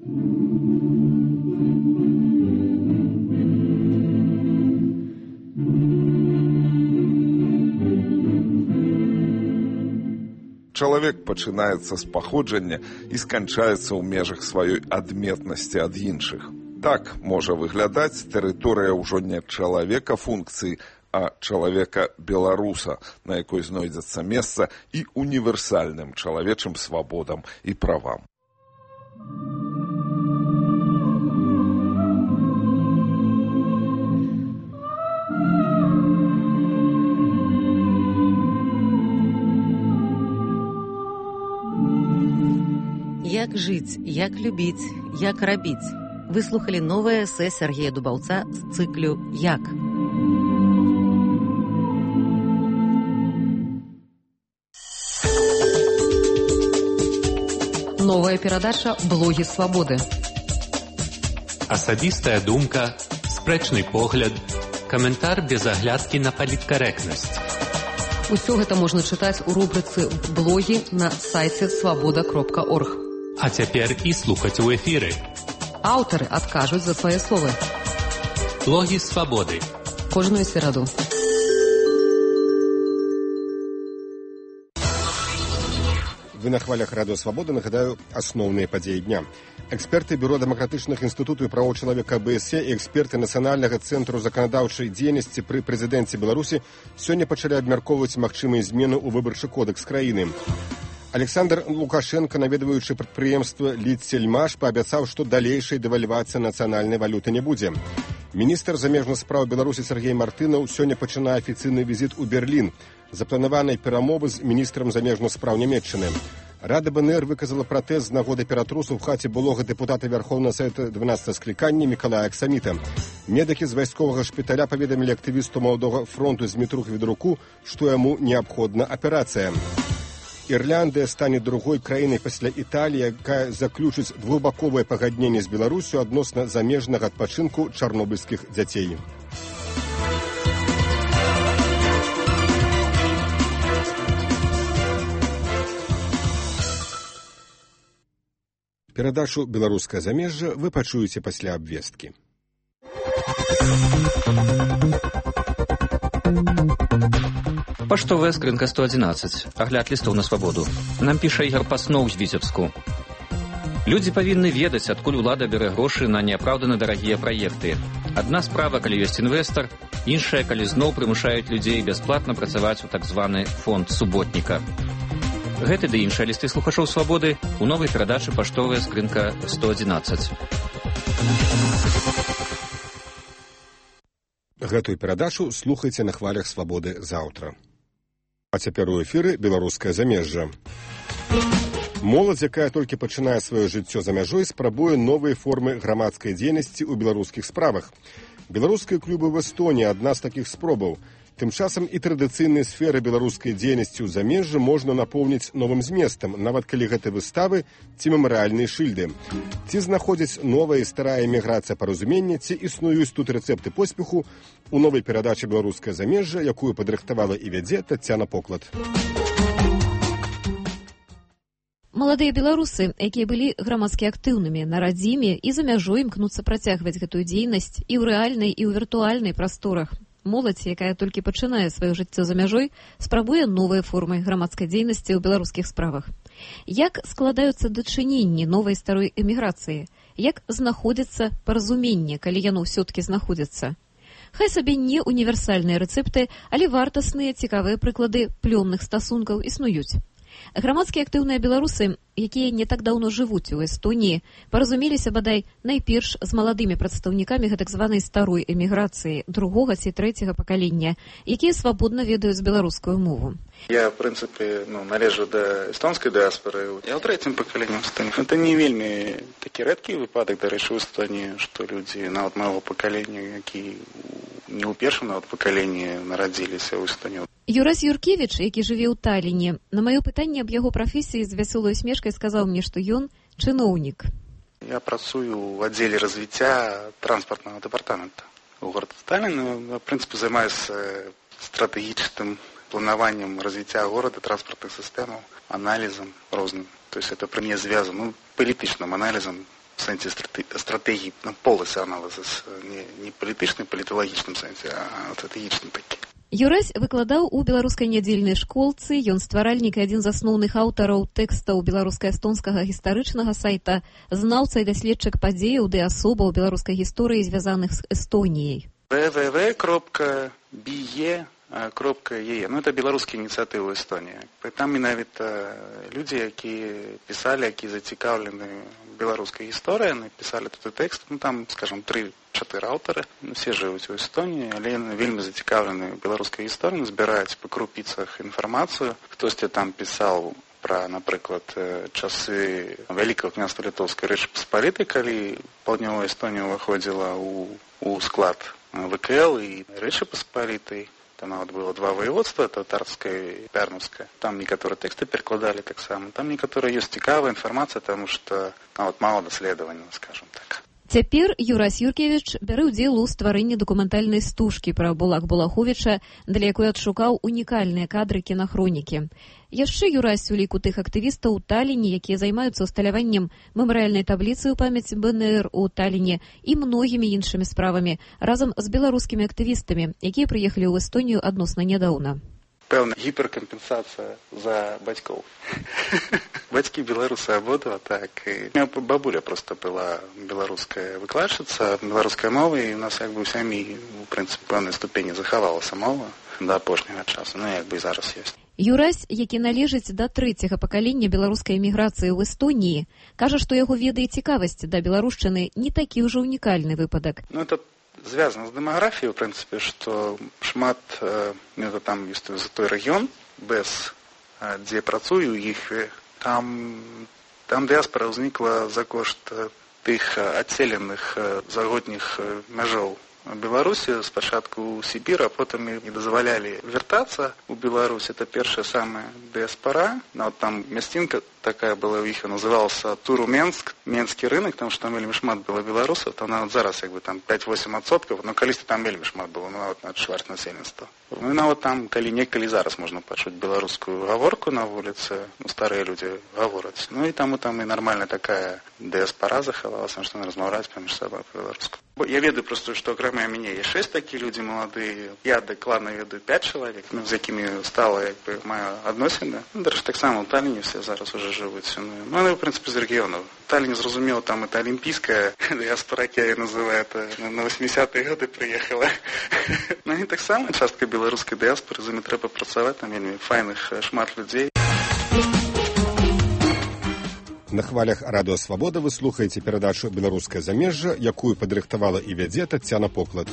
Чалавек пачынаецца з паходжання і сканчаецца ў межах сваёй адметнасці ад іншых. Так можа выглядаць тэрыторыя ўжо не чалавека функцыі, а чалавека-беларуса, на якой знойдзецца месца і універсальным чалавечым свабодам і правам. Як жыць, як любіць, як рабіць. Вы слухалі новае эсэ Сергея Дубаўца з цыклю «Як». Новая перадача «Блогі свабоды». Асабістая думка, спрэчны погляд, каментар без аглядкі на паліткарэктнасць. Усё гэта можна чытаць у рубрыцы «Блогі» на сайце свабода кропка орг. А цяпер і слухаць у эфіры. Аўтары адкажуць за свае словы. Блогі свабоды. Кожную сераду. Вы на хвалях Радыё Свабода, нагадаю, асноўныя падзеі дня. Эксперты Бюро дэмакратычных інстытутаў і правоў чалавека АБСЕ і эксперты Нацыянальнага цэнтру заканадаўчай дзейнасці пры прэзідэнце Беларусі сёння пачалі абмяркоўваць магчымыя змены ў выбарчы кодэкс краіны. Александр Лукашенко, наведваючы прадпрыемства «Лідсельмаш», паабяцаў, што далейшай дэвальвацыі нацыянальнай валюты не будзе. Міністр замежных спраў Беларусі Сергей Мартынаў сёння пачынае афіцыйны візіт у Берлін. Запланаванай перамовы з міністрам замежных спраў Нямецчыны. Рада БНР выказала пратэст з нагоды ператрусу ў хаце былога дэпутата Вярхоўнага Савета дванаццатага склікання Мікалая Аксаміта. Медыкі з вайсковага шпіталя паведамілі актывісту Маладога фронту Змітрух Ведруку, што яму неабходна аперацыя. Ірландыя стане другой краінай пасля Італіі, якая заключыць двухбаковае пагадненне з Беларусю адносна замежнага адпачынку чарнобыльскіх дзяцей. Перадачу «Беларускае замежжа» вы пачуеце пасля абвесткі. Паштовая скрынка сто адзінаццаць. Агляд лістоў на свабоду. Нам піша Ігор Пасноў з Віцебску. Людзі павінны ведаць, адкуль улада бярэ грошы на неапраўдана дарагія праекты. Адна справа, калі ёсць інвестар, іншая, калі зноў прымушаюць людзей бясплатна працаваць у так званы фонд суботніка. Гэты ды іншыя лісты слухачоў свабоды у новай перадачы «Паштовая скрынка сто адзінаццаць». Гэтую перадачу слухайце на хвалях свабоды заўтра. А цяпер у эфіры «Беларускае замежжа». Моладзь, якая толькі пачынае сваё жыццё за мяжой, спрабуе новыя формы грамадскай дзейнасці ў беларускіх справах. Беларускія клубы в Эстоніі – адна з такіх спробаў. Тым часам і традыцыйныя сферы беларускай дзейнасці ў замежжы можна напоўніць новым зместам, нават калі гэта выставы ці мемарыяльныя шыльды. Ці знаходзіць новая і старая эміграцыя паразумення, ці існуюць тут рэцэпты поспеху у новай перадачы «Беларускае замежжа», якую падрыхтавала і вядзе Таццяна Поклад. Маладыя беларусы, якія былі грамадскі актыўнымі на радзіме і за мяжой імкнуцца працягваць гэтую дзейнасць і ў рэальнай, і ў віртуальнай прасторах. Моладзь, якая толькі пачынае сваё жыццё за мяжой, спрабуе новыя формы грамадскай дзейнасці ў беларускіх справах. Як складаюцца дачыненні новай старой эміграцыі? Як знаходзіцца паразуменне, калі яно ўсё-ткі знаходзіцца? Хай сабе не універсальныя рэцэпты, але вартасныя, цікавыя прыклады плённых стасункаў існуюць. Грамадскія актыўныя беларусы, якія не так даўно жывуць у Эстоніі, паразумеліся бадай найперш з маладымі прадстаўнікамі гэтак званай старой эміграцыі другога ці трэцяга пакалення, якія свабодна ведаюць беларускую мову. Я, в прынцыпе, ну, належу да эстонскай дыаспоры. Я ў трэцім пакаленні ў Эстоніі. Это не вельмі такі рэдкі выпадак, дарэчы, у Эстоніі, што людзі нават майго пакалення, які не ў першым нават пакаленні нарадзіліся ў Эстоніі. Юрась Юркевіч, які жыве ў Таліне, на маё пытанне аб яго прафесіі з вясёлай усмешкай сказаў мне, што ён чыноўнік. Я працую в отделе развития транспортного департамента у города Таллин. В принципе, занимаюсь стратегическим планованием развития города, транспортных систем, анализом разным. То есть это при мне связано, ну, политичным анализом в сенсе стратегии, ну, полосы анализа, не, не политичным, политологичным сенсе, а стратегичным таким. Юрась выкладаў у беларускай нядзельнай школцы, ён стваральнік і адзін з асноўных аўтараў тэкстаў беларуска-эстонскага гістарычнага сайта, знаўца і даследчык падзеяў ды асобаў беларускай гісторыі, звязаных з Эстоніяй. вэ вэ вэ крапка би е крапка е е. Ну, это беларускія ініцыятывы Эстонії. Там менавіта людзі, якія пісалі, якія зацікаўлены беларускай гісторыяй, напісалі тут тэкст. Ну, там, скажем, тры-чатыры аўтары. Усе жывуць у Эстонії, але яны вельмі зацікаўлены беларускай гісторыяй, збіраюць па крупіцах інфармацыю. Хтосьці там пісаў пра, напрыклад, часы Вялікага княства Літоўскай Рэчы Паспалітай, калі паўднёвая Эстонія ўваходзіла ў, у склад вэ ка эл і Рэчы Паспалітай. Там нават было два воеводства, татарскае і пярнаўскае. Там некаторыя тэксты перакладалі таксама. Там некаторая ёсць цікавая інфармацыя, таму што нават мала даследаванняў, скажем так. Цяпер Юрась Юркевіч бярэ ўдзел у стварэнні дакументальнай стужкі пра Булак Булаховіча, для якой адшукаў унікальныя кадры кінахронікі. Яшчэ Юрась у ліку тых актывістаў у Таліне, якія займаюцца усталяваннем мемарыяльнай табліцы ў памяць бэ эн эр у Таліне і многімі іншымі справамі, разам з беларускімі актывістамі, якія прыехалі ў Эстонію адносна нядаўна. Пэўна гіперкампенсацыя за бацькоў. Бацькі беларусы абодва, так. І у меня бабуля просто была беларуская выкладчыца беларускай мовы, і у нас як бы ў сям'і, у прынцыпе, пэўнай ступені захавалася мова да апошняга часу, ну як бы і зараз ёсць. Юрась, які належыць да трэцяга пакалення беларускай эміграцыі ў Эстоніі, кажа, што яго веда і цікавасць да беларушчыны не такі ўжо унікальны выпадак. Ну, это звязано з дэмаграфіяй, у прынцыпе, што шмат, ну, там ёсць за той рэгіён, без, дзе працую іх, там, там дыяспара ўзнікла за кошт тых адселеных загодніх мяжоў Беларусі, спачатку ў Сібір, а потым не дазвалялі вяртацца ў Беларусь. Это першая самая дыяспара. Нават там мясцінка такая была ў іх, называлася Туру-Менск, Менскі рынок, там што там вельмі шмат было беларусаў, там нават зараз як бы там пяць-восем адсоткаў, но калісьці там вельмі шмат было, ну нават на чвэрць насельніцтва. Ну нават там, калі некалі зараз можна пачуць беларускую гаворку на вуліцы, ну старыя людзі гавораць. Ну і там і там і нармальная такая дыяспара захавалася, што яны размаўляюць паміж сабой па-беларуску. Я ведаю просто, што акрамя мяне є шэсць такі людзі маладыя. Я дакладна ведаю пяць чалавек, ну, з якімі стала як бы маю адносіны. Ну, дарэчы, таксама ў Таліне все зараз уже жывуць. Ну, ну, в прынцыпе, з рэгіёнаў. Таліне, зразумела, там это алімпійская дыяспара, я называю, это на восьмідзесятыя гады прыехала. Ну, і таксама частка беларускай дыяспары, за імі трэба працаваць, там вельмі файных шмат людзей. На хвалях радыё Свабода вы слухаеце перадачу «Беларускае замежжа», якую падрыхтавала і вядзе Таццяна Поклад.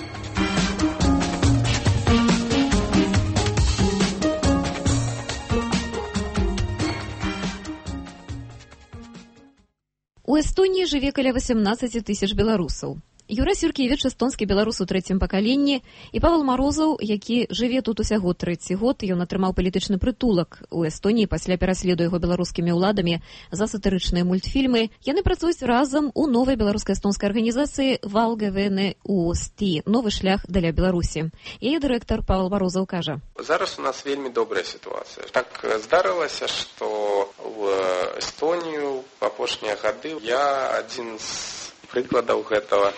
У Эстоніі жыве каля васямнаццаць тысяч беларусаў. Юрась Юркевіч, эстонскі беларус у трэцім пакаленні, і Павел Марозаў, які жыве тут усяго трэці год, ён атрымаў палітычны прытулак у Эстоніі пасля пераследу яго беларускімі ўладамі за сатырычныя мультфільмы. Яны працуюць разам у новай беларуска-эстонскай арганізацыі «Валгавене УОСТИ» – новы шлях для Беларусі. Яе дырэктар Павел Марозаў кажа. Зараз у нас вельмі добрая сітуацыя. Так здарылася, што ў Эстонію в апошнія гады я адзін з прыкладаў гэтага,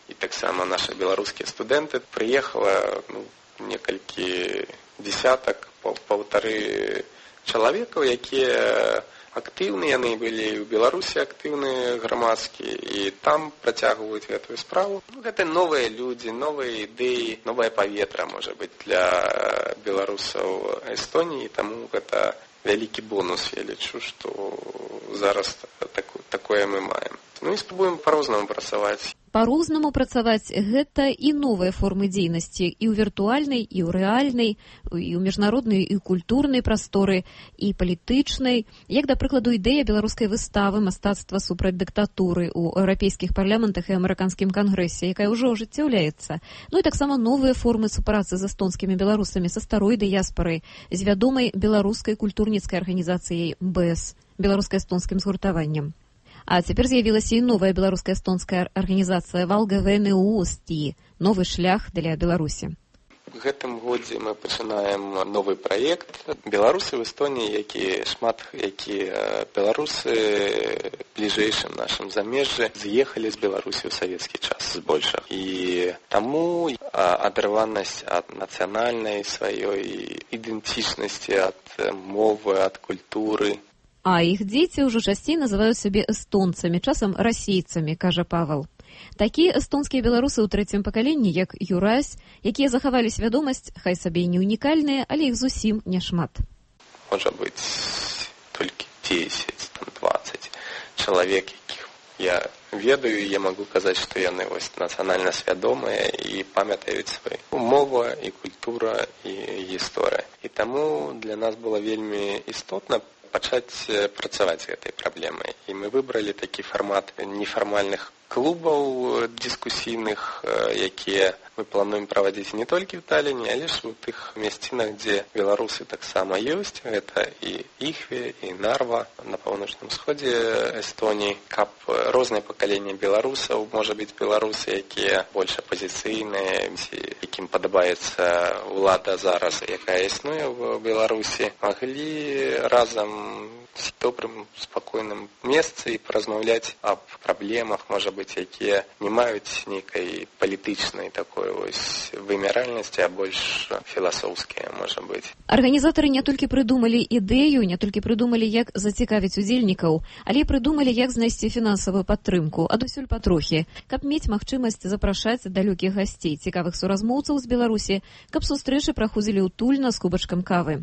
і таксама нашы беларускія студэнты прыехала, ну, некалькі десятак, паўтары чалавекаў, якія актыўныя, яны былі ў Беларусі актыўныя грамадскія, і там працягваюць гэтую справу. Ну, гэта новыя людзі, новыя ідэі, новае паветра, можа быць, для беларусаў Эстоніі, таму гэта вялікі бонус, я лічу, што зараз так, такое мы маем. Ну і спробуем па-рознаму працаваць. Па-рознаму працаваць гэта і новыя формы дзейнасці і ў віртуальнай, і ў рэальнай, і ў міжнароднай, і ў культурнай прасторы, і палітычнай, як, да прыкладу, ідэя беларускай выставы мастацтва супраць дыктатуры ў еўрапейскіх парламентах і амерыканскім кангрэсе, якая ўжо ажыццяўляецца. Ну і таксама новыя формы супрацы з эстонскімі беларусамі са старой дыяспорай, з вядомай беларускай культурніцкай арганізацыяй бэ эс, беларуска-эстонскім згуртаваннем. А цяпер з'явілася і новая беларуска-эстонская арганізацыя Валгавене-Уости, новы шлях для Беларусі. В гэтым годзе мы пачынаем новы праект. Беларусы в Эстоніі, які шмат, які беларусы бліжэйшым нашым замежжы з'ехалі з Беларусі ў савецкі час збольшага. І таму адарванасць ад нацыянальнай сваёй ідэнтычнасці, ад мовы, ад культуры. А іх дзеці ўжо часцей называюць сябе эстонцамі, часам расейцамі, кажа Павел. Такія эстонскія беларусы ў трэцім пакаленні, як Юрась, якія захавалі свядомасць, хай сабе і не унікальныя, але іх зусім няшмат. Можа быць, толькі дзесяць, там, дваццаць чалавек, якіх я ведаю, я магу казаць, што яны вось нацыянальна свядомыя і памятаюць сваю мову, і культура, і гісторыя. І таму для нас было вельмі істотна пачаць працаваць з гэтай праблемай. І мы выбралі такі фармат нефармальных клубаў дыскусійных, якія мы плануем праводзіць не толькі ў Талліне, але ж у тых месцінах, дзе беларусы таксама ёсць. Гэта і Іхве, і Нарва на паўночным сходзе Эстоніі. Каб розныя пакаленні беларусаў, можа быць беларусы, якія больш апазіцыйныя, якім падабаецца ўлада зараз, якая існуе ў Беларусі, маглі разам з добрым, спакойным месцы і паразмаўляць аб праблемах, можа быць, якія не маюць нейкай палітычнай такой вось вымяральнасці, а больш філасофскія, можа быць. Арганізатары не толькі прыдумалі ідэю, не толькі прыдумалі, як зацікавіць удзельнікаў, але і прыдумалі, як знайсці фінансавую падтрымку, адусюль патрохі, каб мець магчымасць запрашаць далёкіх гасцей, цікавых суразмоўцаў з Беларусі, каб сустрэчы праходзілі ўтульна з кубачкам кавы.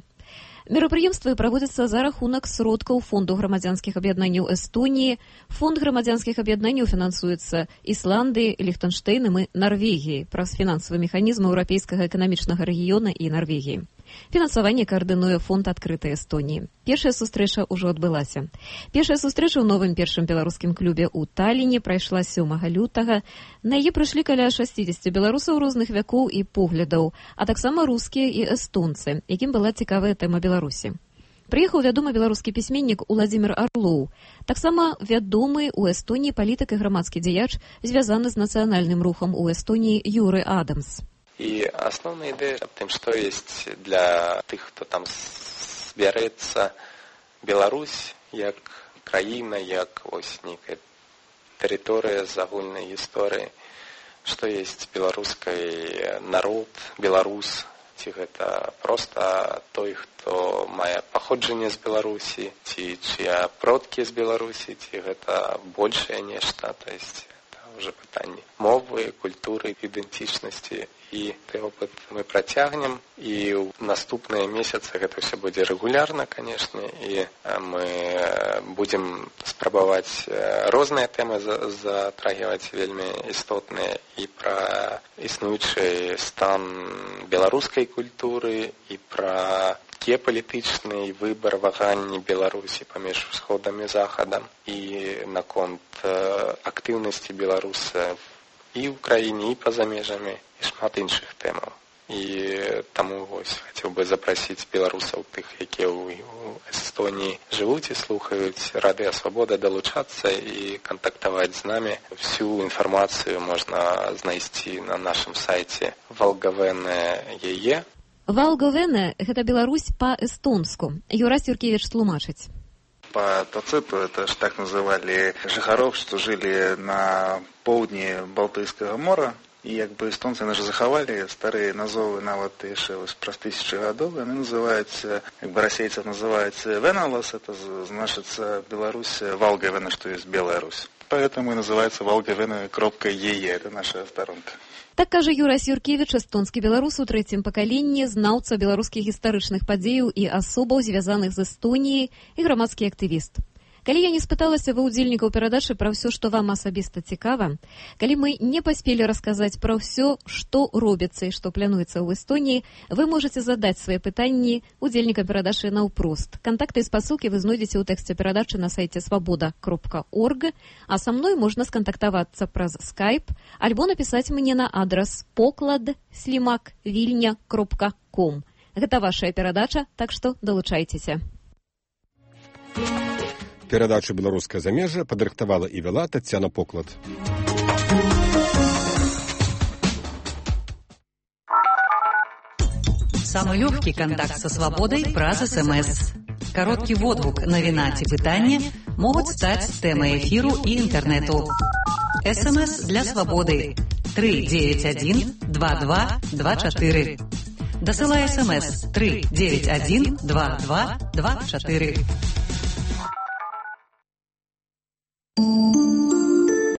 Мерапрыемствы праводзяцца за рахунак сродкаў Фонду грамадзянскіх аб'яднанняў Эстоніі. Фонд грамадзянскіх аб'яднанняў фінансуецца Ісландыі, Ліхтэнштэйнам і Нарвегіяй праз фінансавы механізм еўрапейскага эканамічнага рэгіёна і Нарвегіі. Фінансаванне каардынуе Фонд адкрытай Эстоніі. Першая сустрэча ўжо адбылася. Першая сустрэча ў новым першым беларускім клубе ў Талліне прайшла сёмага лютага. На яе прыйшлі каля шасцідзесят беларусаў розных вякоў і поглядаў, а таксама рускія і эстонцы, якім была цікавая тэма Беларусі. Прыехаў вядомы беларускі пісьменнік Уладзімір Арлоў, таксама вядомы ў Эстоніі палітык і грамадскі дзеяч, звязаны з нацыянальным рухам у Эстоніі Юры Адамс. І асноўная ідэя аб тым, што ёсць для тых, хто там збярэцца, Беларусь як краіна, як ось нейкая тэрыторыя з агульнай гісторыі, што ёсць беларускай народ, беларус, ці гэта проста той, хто мае паходжанне з Беларусі, ці чыя продкі з Беларусі, ці гэта большае нешта, то есть уже пытанні мовы, культуры, ідэнтычнасці. І той опыт мы працягнем, і ў наступныя месяцы гэта ўсё будзе рэгулярна, канешне, і мы будзем спрабаваць розныя тэмы затрагіваць вельмі істотныя і пра існуючы стан беларускай культуры, і пра геапалітычны выбар ваганні Беларусі паміж усходам і захадам, і наконт актыўнасці беларусаў і ў краіне, і па-за межамі, і шмат іншых тэмаў. І таму вось хацеў бы запрасіць беларусаў, тых, якія ў Эстоніі жывуць і слухаюць Радыё Свабода, далучацца і кантактаваць з намі. Всю інфармацыю можна знайсці на нашым сайце Валгавене.е. Валгавене – гэта Беларусь па-эстонску. Юрась Юркевич тлумачыць. По Тациту, это ж так называли жыхароў, что жили на поўдні Балтыйскага мора. І як бы эстонцы наши захавалі старыя назовы нават яшчэ праз тысячы гадоў. Яны называюцца, як бы расейцев называюцца Веналас, это значится Беларусь Валгавене, что есть Белая Русь. Поэтому и называется Валгавене.е, это наша сторонка. Так кажа Юрась Юркевич, эстонскі беларус у трэцім пакаленні, знаўца беларускіх гістарычных падзеяў і асобаў, звязаных з Эстоніяй, і грамадскі актывіст. Калі я не спыталася ва ўдзельнікаў перадачы пра ўсё, што вам асабіста цікава, калі мы не паспелі расказаць пра ўсё, што робіцца і што плануецца ў Эстоніі, вы можаце задаць свае пытанні удзельнікам перадачы наўпрост. Кантакты і спасылкі вы знойдзеце ў тэксце перадачы на сайце свабода кропка орг, а са мной можна скантактавацца праз скайп альбо напісаць мне на адрас поклад слімак вільня кропка ком. Гэта вашая перадача, так што далучайцеся. Перадачу «Беларускае замежжа» падрыхтавала і вяла Таццяна Поклад. Самый легкий контакт со свободой праз СМС. Короткий водгук, навіна ці пытанне могуць стаць тэмай эфіру і інтэрнэту. СМС для свободы три девять один два два два четыре. Дасылай СМС три девять один два два два четыре.